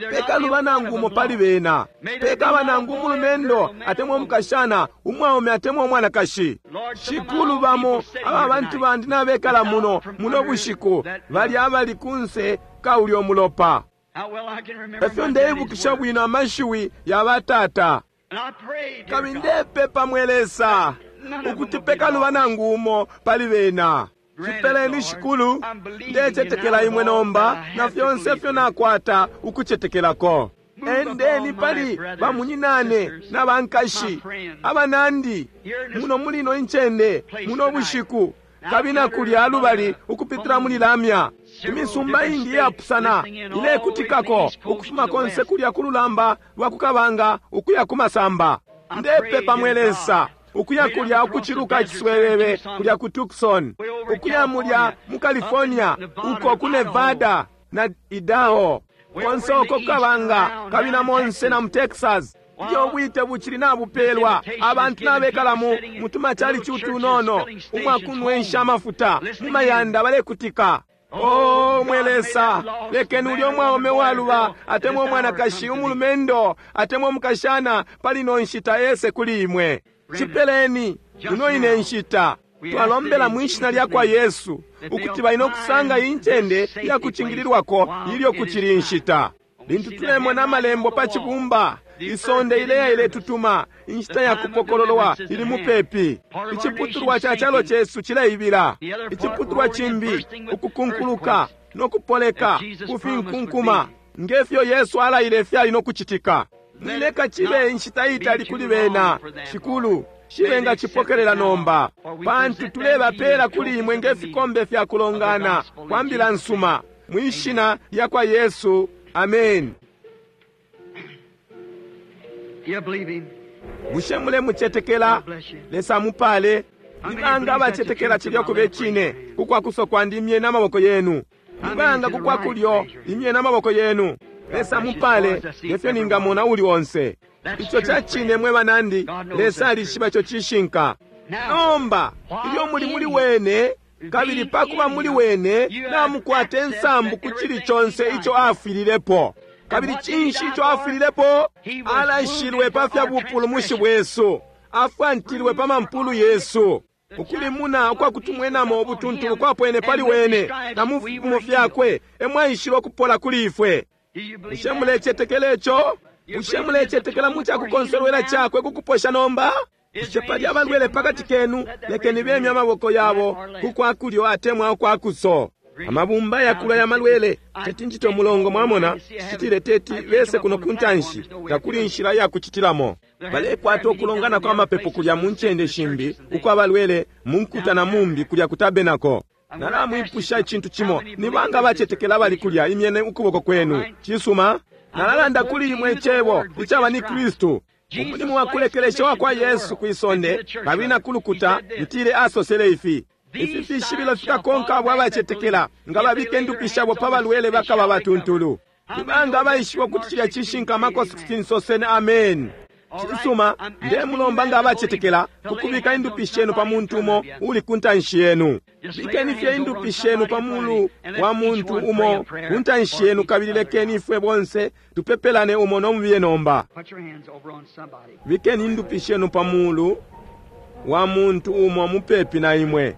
S1: Pekaluba nangu umo pali bena, pekaba nangu umulumendo atemwa umukashana, umwaume atemwa umwanakashi. Shikulu, bamo aba bantu bandi nabekala muno muno bushiku bali abali kunse ka ulyo mulopa. Efyo ndeibukisha bwino amashiwi ya batata. Kabili ndepepa, mwe Lesa, ukuti pekaluba nangu umo pali bena. Cipeleni, Shikulu. Ndecetekela imwe nomba na fyonse fyo nakwata ukucetekelako. Endeni pali bamunyinane na bankashi abanandi muno mulino incende muno bushiku, kabili na kulya lubali ukupitila muli lamya. Imisumba ingi iyapusana ilekutikako ukufuma konse kulya ku lulamba lwa kukabanga ukuya ku masamba. Ndepepa, mwe Lesa, ukuya kulya ukuciluka iciswebebe kulya ku Tucson, ukuya mulya mu California, uko ku Nevada na Idaho, konse uko kukabanga, kabili na monse na mu Texas. Iyo bwite bucili nabupelwa, abantu nabekala mu mutumacalici utunono umwakunwensha amafuta mu mayanda balekutika. Oh, mwe Lesa, lekeni ulyo mwaume waluba atemwa umwanakashi, umulumendo atemwa umukashana pali no nshita ese kuli imwe. Cipeleni ino ine nshita. Twalombela mwi shina lya kwa Yesu ukuti balina okusanga incende ya kucingililwako ilyo kucili inshita. Lintu tulemona amalembo pa cibumba, isonde ileya iletutuma, inshita ya kupokololwa ili mupepi. Iciputulwa ca calo cesu cileibila, iciputulwa cimbi ukukunkuluka no kupoleka kufinkunkuma, ngefyo Yesu alaile fyali no kucitika. Mwileka cibe inshita itali kuli bena, Shikulu, shibe nga cipokelela nomba, pantu tulebapela kuli imwe nge fikombe fya kulongana kwa mbila nsuma, mwi shina lya kwa Yesu. Amen.
S2: You believe him?
S1: Bushe mulemucetekela? Lesa mupale. Nibanga abacetekela cilya kube cine? Kukwakuso kwandi imye n'amaboko yenu. Nibanga kukwakulyo imye n'amaboko yenu. Lesa mupale, ngefyo ningamona uli onse. Ico ca cine, mwe banandi. Lesa alishiba ico cishinka. Nomba ilyo muli muli wene, kabili pakuba muli wene, namukwata insambu ku cili conse ico afwililepo. Kabili cinshi ico afwililepo? Alashilwe pa fya bupulumushi bwesu, afwantilwe pa mampulu yesu. Ukulimuna ukwakutumwenamo ubutuntulu kwapwene pali wene, na mu fipimo fyakwe emwaishile ukupola kuli ifwe.
S2: Do you believe
S1: Bushe
S2: that?
S1: mulecetekela ico? Bushe mulecetekela mu cakukonsolwela cakwe kukuposha nomba? Bushe pali abalwele pakati kenu? Lekeni bemye amaboko yabo kukwakulyo atemwa ukwakuso. Amabumba yakula ya malwele teti ncite umulongo, mwamona, citile teti bese kuno kuntanshi, takuli inshila ya kucitilamo. Balekwata ukulongana kwa mapepo kulya mu ncende shimbi ukwa balwele mu nkuta na mumbi kulya ku tabenako. Nalamwipusha icintu cimo. Ni banga abacetekela abali kulya? Imyene ukuboko kwenu. Cisuma. Nalalanda kuli imwe Icebo icaba ni Kristu. Umulimo wa kulekelesha wa kwa Yesu kwi sonde kabili na kulukuta, ntile asosele ifi: Ifi fishibilo fikakonka abo abacetekela, nga babika indupi shabo pa balwele bakaba batuntulu. Ni banga abaishiba ukuti cilya cishinka? Marko 16, soseni ameni. Cisuma, ndemulomba nga abacetekela kukubika indupi shenu pa muntu umo uli ku ntanshi yenu. Bikeni fye indupi shenu pa mulu wa muntu umo ku ntanshi yenu, kabili lekeni ifwe bonse tupepelane umo no mubiye nomba. Bikeni indupi shenu pa mulu wa muntu umo mupepi na imwe.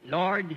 S2: Lord,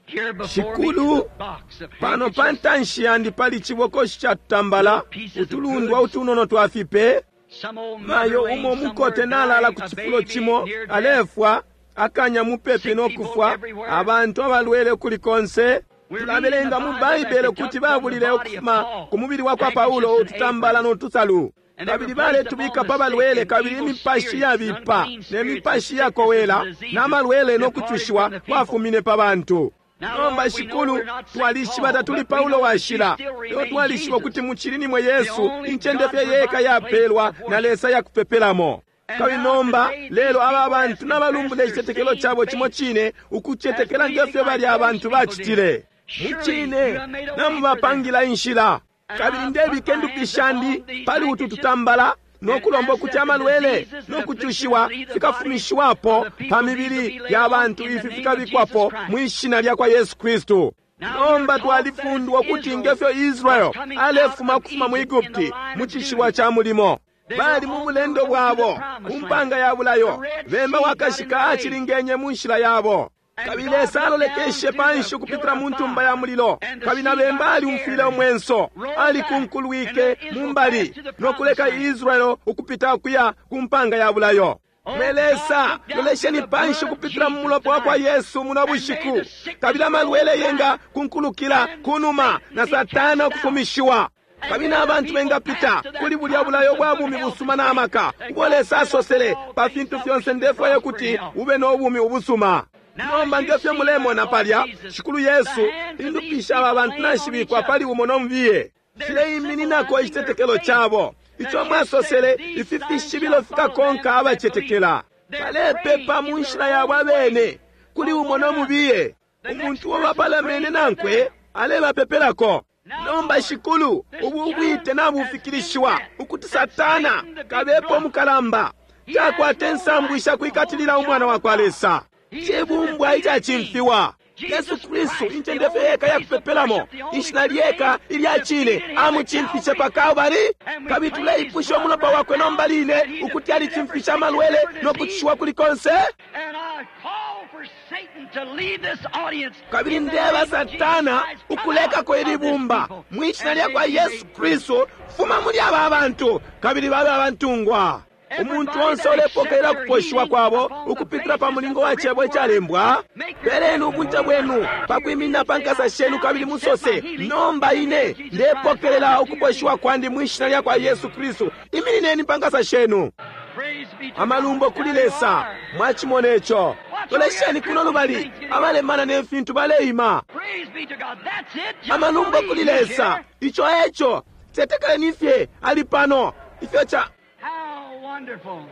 S2: here before me is
S1: Shikulu,
S2: a box of
S1: pano pa
S2: handkerchiefs.
S1: ntanshi yandi pali cibokoshi ca tutambala, utulundwa utunono twa fipe.
S2: Some old mother
S1: Mayo
S2: laying
S1: umo mukote
S2: somewhere
S1: nalala
S2: dying,
S1: ku
S2: a
S1: cifulo
S2: baby
S1: cimo
S2: near death.
S1: alefwa, akanya mupepi no kufwa, abantu abalwele kuli konse. Tulabelenga mu Baibele ukuti babulile ukufuma ku mubili wa kwa Paulo ututambala no tusalu, kabili baletubika pa balwele, kabili imipashi yabipa ne mipashi yakowela na malwele no kucushiwa kwafumine pa bantu. Nomba Shikulu, twalishiba tatuli Paulo washila, lelo twalishiba ukuti mucili nimwe Yesu, incende fye yeka yapelwa na Lesa yakupepelamo. Kabili nomba lelo aba bantu nabalumbula icitetekelo cabo cimo cine, ukucetekela ngefyo bali abantu bacitile. Mucine namubapangila inshila. Kabili ndebika indupi shandi pali utu tutambala no kulomba ukuti amalwele no kucushiwa fikafumishiwapo pa mibili ya bantu, ifi fikabikwapo mwi shina lya kwa Yesu Kristu. Nomba twalifundwa ukuti ngefyo Israel alefuma kufuma mu Egupti mu cishiwa ca mulimo, bali mu bulendo bwabo ku mpanga ya bulayo, bemba wakashika acilingenye mu nshila yabo. Kabili Lesa alolekeshe panshi ukupitila mu ntumba ya mulilo, kabili na bemba aliumfwile umwenso, alikunkulwike mu mbali no kuleka Israel ukupita ukuya ku mpanga ya bulayo. Mwe Lesa, lolesheni panshi ukupitila mu mulopa wa kwa Yesu muno bushiku, kabili amalwele yenga kunkulukila kunuma na Satana ukufumishiwa, kabili n'abantu bengapita kuli bulya bulayo bwa bumi busuma n'amaka ubo Lesa asosele pa fintu fyonse. Ndefwaya kuti ube n'obumi ubusuma. Nomba ngefyo mulemona palya, Shikulu Yesu, indupi sha aba bantu nashibikwa pali umo no mubiye, shileimininako icitetekelo cabo ico mwasosele: ifi fishibilo fikakonka abacetekela. Balepepa mu nshila yabo abene kuli umo no mubiye, umuntu uo bapalamene nankwe alebapepelako. Nomba Shikulu, ubu ubwite nabufikilishiwa ukuti Satana kabepo umukalamba takwata insambu ishakwikatilila umwana wa kwa Lesa, cibumbwa icacimfiwa. Yesu Kristu, incende fye yeka yakupepelamo, ishina lyeka ilya cine, amucimfishe pa Kalvari. Kabili tuleipusha umulopa wakwe nomba line ukuti alicimfishe amalwele no kucishiwa kuli konse.
S2: And I call for Satan to leave this audience.
S1: Kabili
S2: in the
S1: ndeba
S2: name of Jesus
S1: Satana
S2: Christ, come
S1: ukulekako
S2: out of
S1: ili
S2: this
S1: bumba
S2: people
S1: mwi shina
S2: and
S1: lya kwa
S2: be
S1: Yesu
S2: free.
S1: Kristu, fuma muli aba bantu kabili babe abantungwa. Umuntu onse ulepokelela kuposhiwa kwabo ukupitila pa mulingo wa cebo icalembwa, peleni ubunte bwenu pakwiminina pa nkasa shenu kabili musose: nomba ine ndepokelela ukuposhiwa kwandi mwi shina lya kwa Yesu Kristu. Iminineni pa nkasa shenu.
S2: Praise be to
S1: Amalumbo
S2: God.
S1: kuli
S2: There you
S1: Lesa.
S2: are.
S1: Mwachimona ico. Lolesheni kuno lubali, abalemana ne fintu baleima.
S2: Praise be to God. That's it. Just
S1: Amalumbo
S2: believe
S1: kuli
S2: he's
S1: Lesa.
S2: here.
S1: Ico eco. Tetekeleni fye ali pano. Ifyo ca
S2: How wonderful.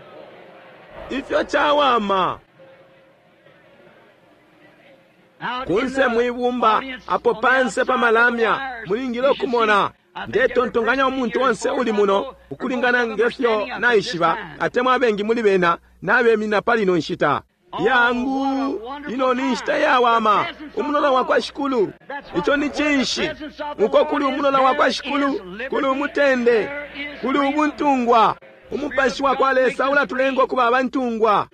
S1: ifyo cawama.
S2: Out in
S1: Kunse
S2: the
S1: mwibumba
S2: audience,
S1: apo
S2: on the
S1: panse
S2: outside
S1: pa
S2: of the
S1: malamya
S2: wires,
S1: mulingile
S2: you should
S1: ukumona.
S2: see. I think every
S1: Ndetontonkanya
S2: person
S1: umuntu
S2: here
S1: onse
S2: is
S1: uli
S2: born
S1: muno
S2: or
S1: ukulingana
S2: most of them are
S1: ngefyo
S2: standing up at this
S1: naishiba,
S2: time.
S1: atemwa abengi muli bena nabemina pali ino nshita. Yangu, ino ni nshita yawama, umulola wa kwa Shikulu. Ico ni cinshi? Uko kuli umulola wa kwa Shikulu, kuli umutende, kuli ubuntungwa. Umupashi wa kwa Lesa ulatulenga ukuba abantungwa.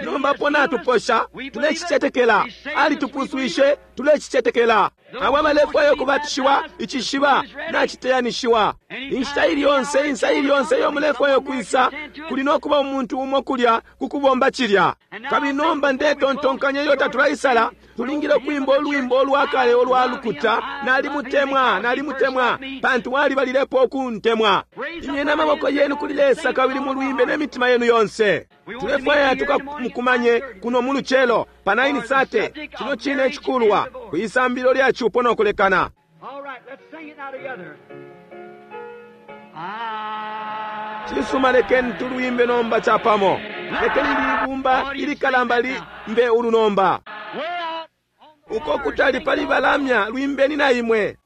S1: Nomba po natuposha, tulecicetekela. Alitupuswishe, tulecicetekela. Abo abalefwaya ukubatishiwa, icishiba naciteyanishiwa. Inshita ili yonse, insa ili yonse iyo mulefwaya ukwisa, kuli no kuba umuntu umo kulya ku kubomba cilya. Kabili nomba ndetontonkanya ilyo tatulaisala, tulingile ukwimba ulwimbo ulwa kale ulwa lukuta, Nalimutemwa, nalimutemwa, pantu walibalilepo ukuntemwa. Imyeni amaboko yenu kuli Lesa kabili mulwimbe ne mitima yenu yonse. Tulefwaya tukamukumanye kuno mu lucelo pa 9:30 cino cine icikulwa ku isambililo lya cupo no kulekana.
S2: All right, let's sing it now together. I
S1: Cisuma, lekeni tulwimbe nomba capamo. Lekeni libumba ilikalamba limbe ulu nomba.
S2: way out on the
S1: Uko kutali pali balamya, lwimbeni na imwe.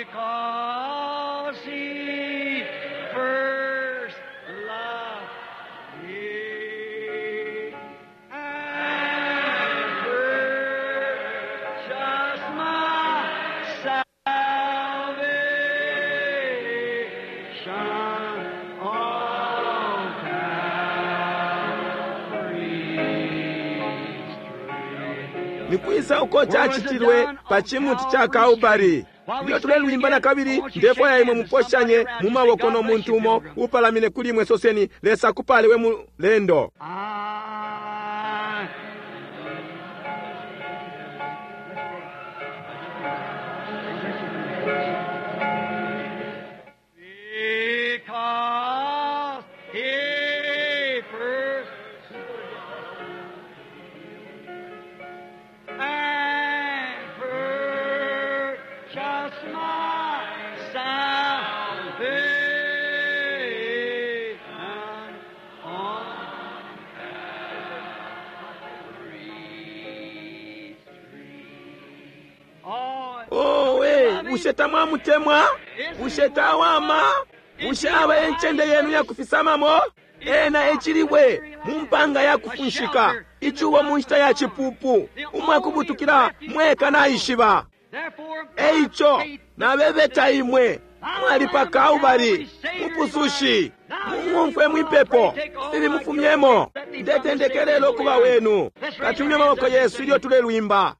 S2: Because he first loved me and purchased my salvation on Calvary's tree.
S1: Nikwisa uko cacitilwe pa cimuti ca Kalbari. Ilyo tulelwimba na kabili, ndefwaya imwe muposhanye mu maboko no muntu umo upalamine kuli imwe, soseni, Lesa akupale we mulendo.
S2: I Because he first and purchased my salvation on Calvary's tree. Oh,
S1: Owe, bushe tamwamutemwa? Bushe tawama? Bushe aba encende yenu yakufisamamo? Ena ecilibwe mu mpanga yakufunshika, icubo mu nshita ya cipupu, umwakubutukila mweka naishiba.
S2: therefore,
S1: Eico nabebeta imwe mwali pa Kalbari, mupusushi, mung'umfwe mwipepo ifi mufumyemo. Ndetendekela ukuba wenu. Katumye amaboko yesu ilyo tulelwimba.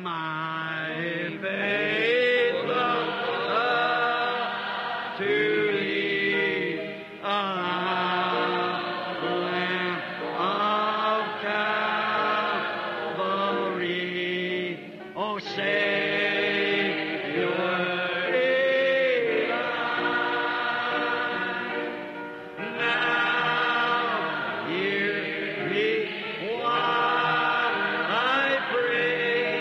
S2: My faith looks up to thee, ah, Lamb of Calvary, O Savior divine. Now hear me while I pray.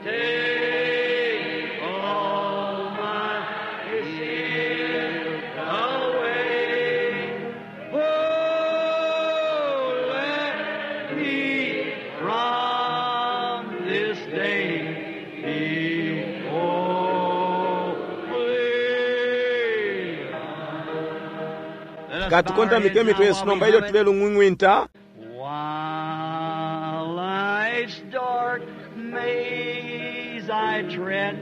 S2: Take all my sin away. Oh, let me from this day be holy. Let us bow our
S1: Katukontamike
S2: heads
S1: imitwe
S2: now
S1: yesu
S2: while we
S1: nomba ilyo
S2: have it.
S1: tulelung'wing'winta.
S2: While life's dark maze I tread,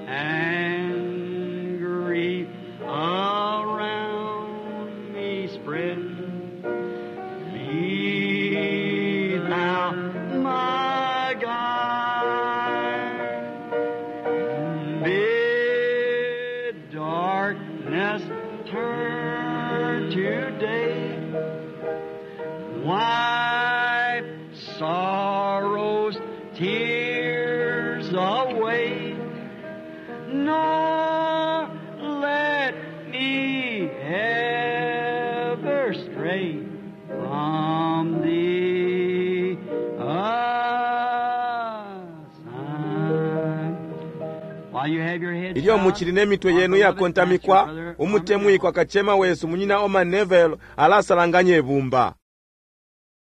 S2: and grief around me spread, be thou my guide. Bid darkness turn to day. Wipe sorrow's tears away, nor let me ever stray from thee aside. While you have your heads
S1: Ilyo
S2: bowed,
S1: mucili ne mitwe
S2: our
S1: yenu
S2: beloved
S1: yakontamikwa,
S2: pastor, Brother
S1: umutemwikwa kacema wesu munyina Orman Neville alasalanganya ibumba.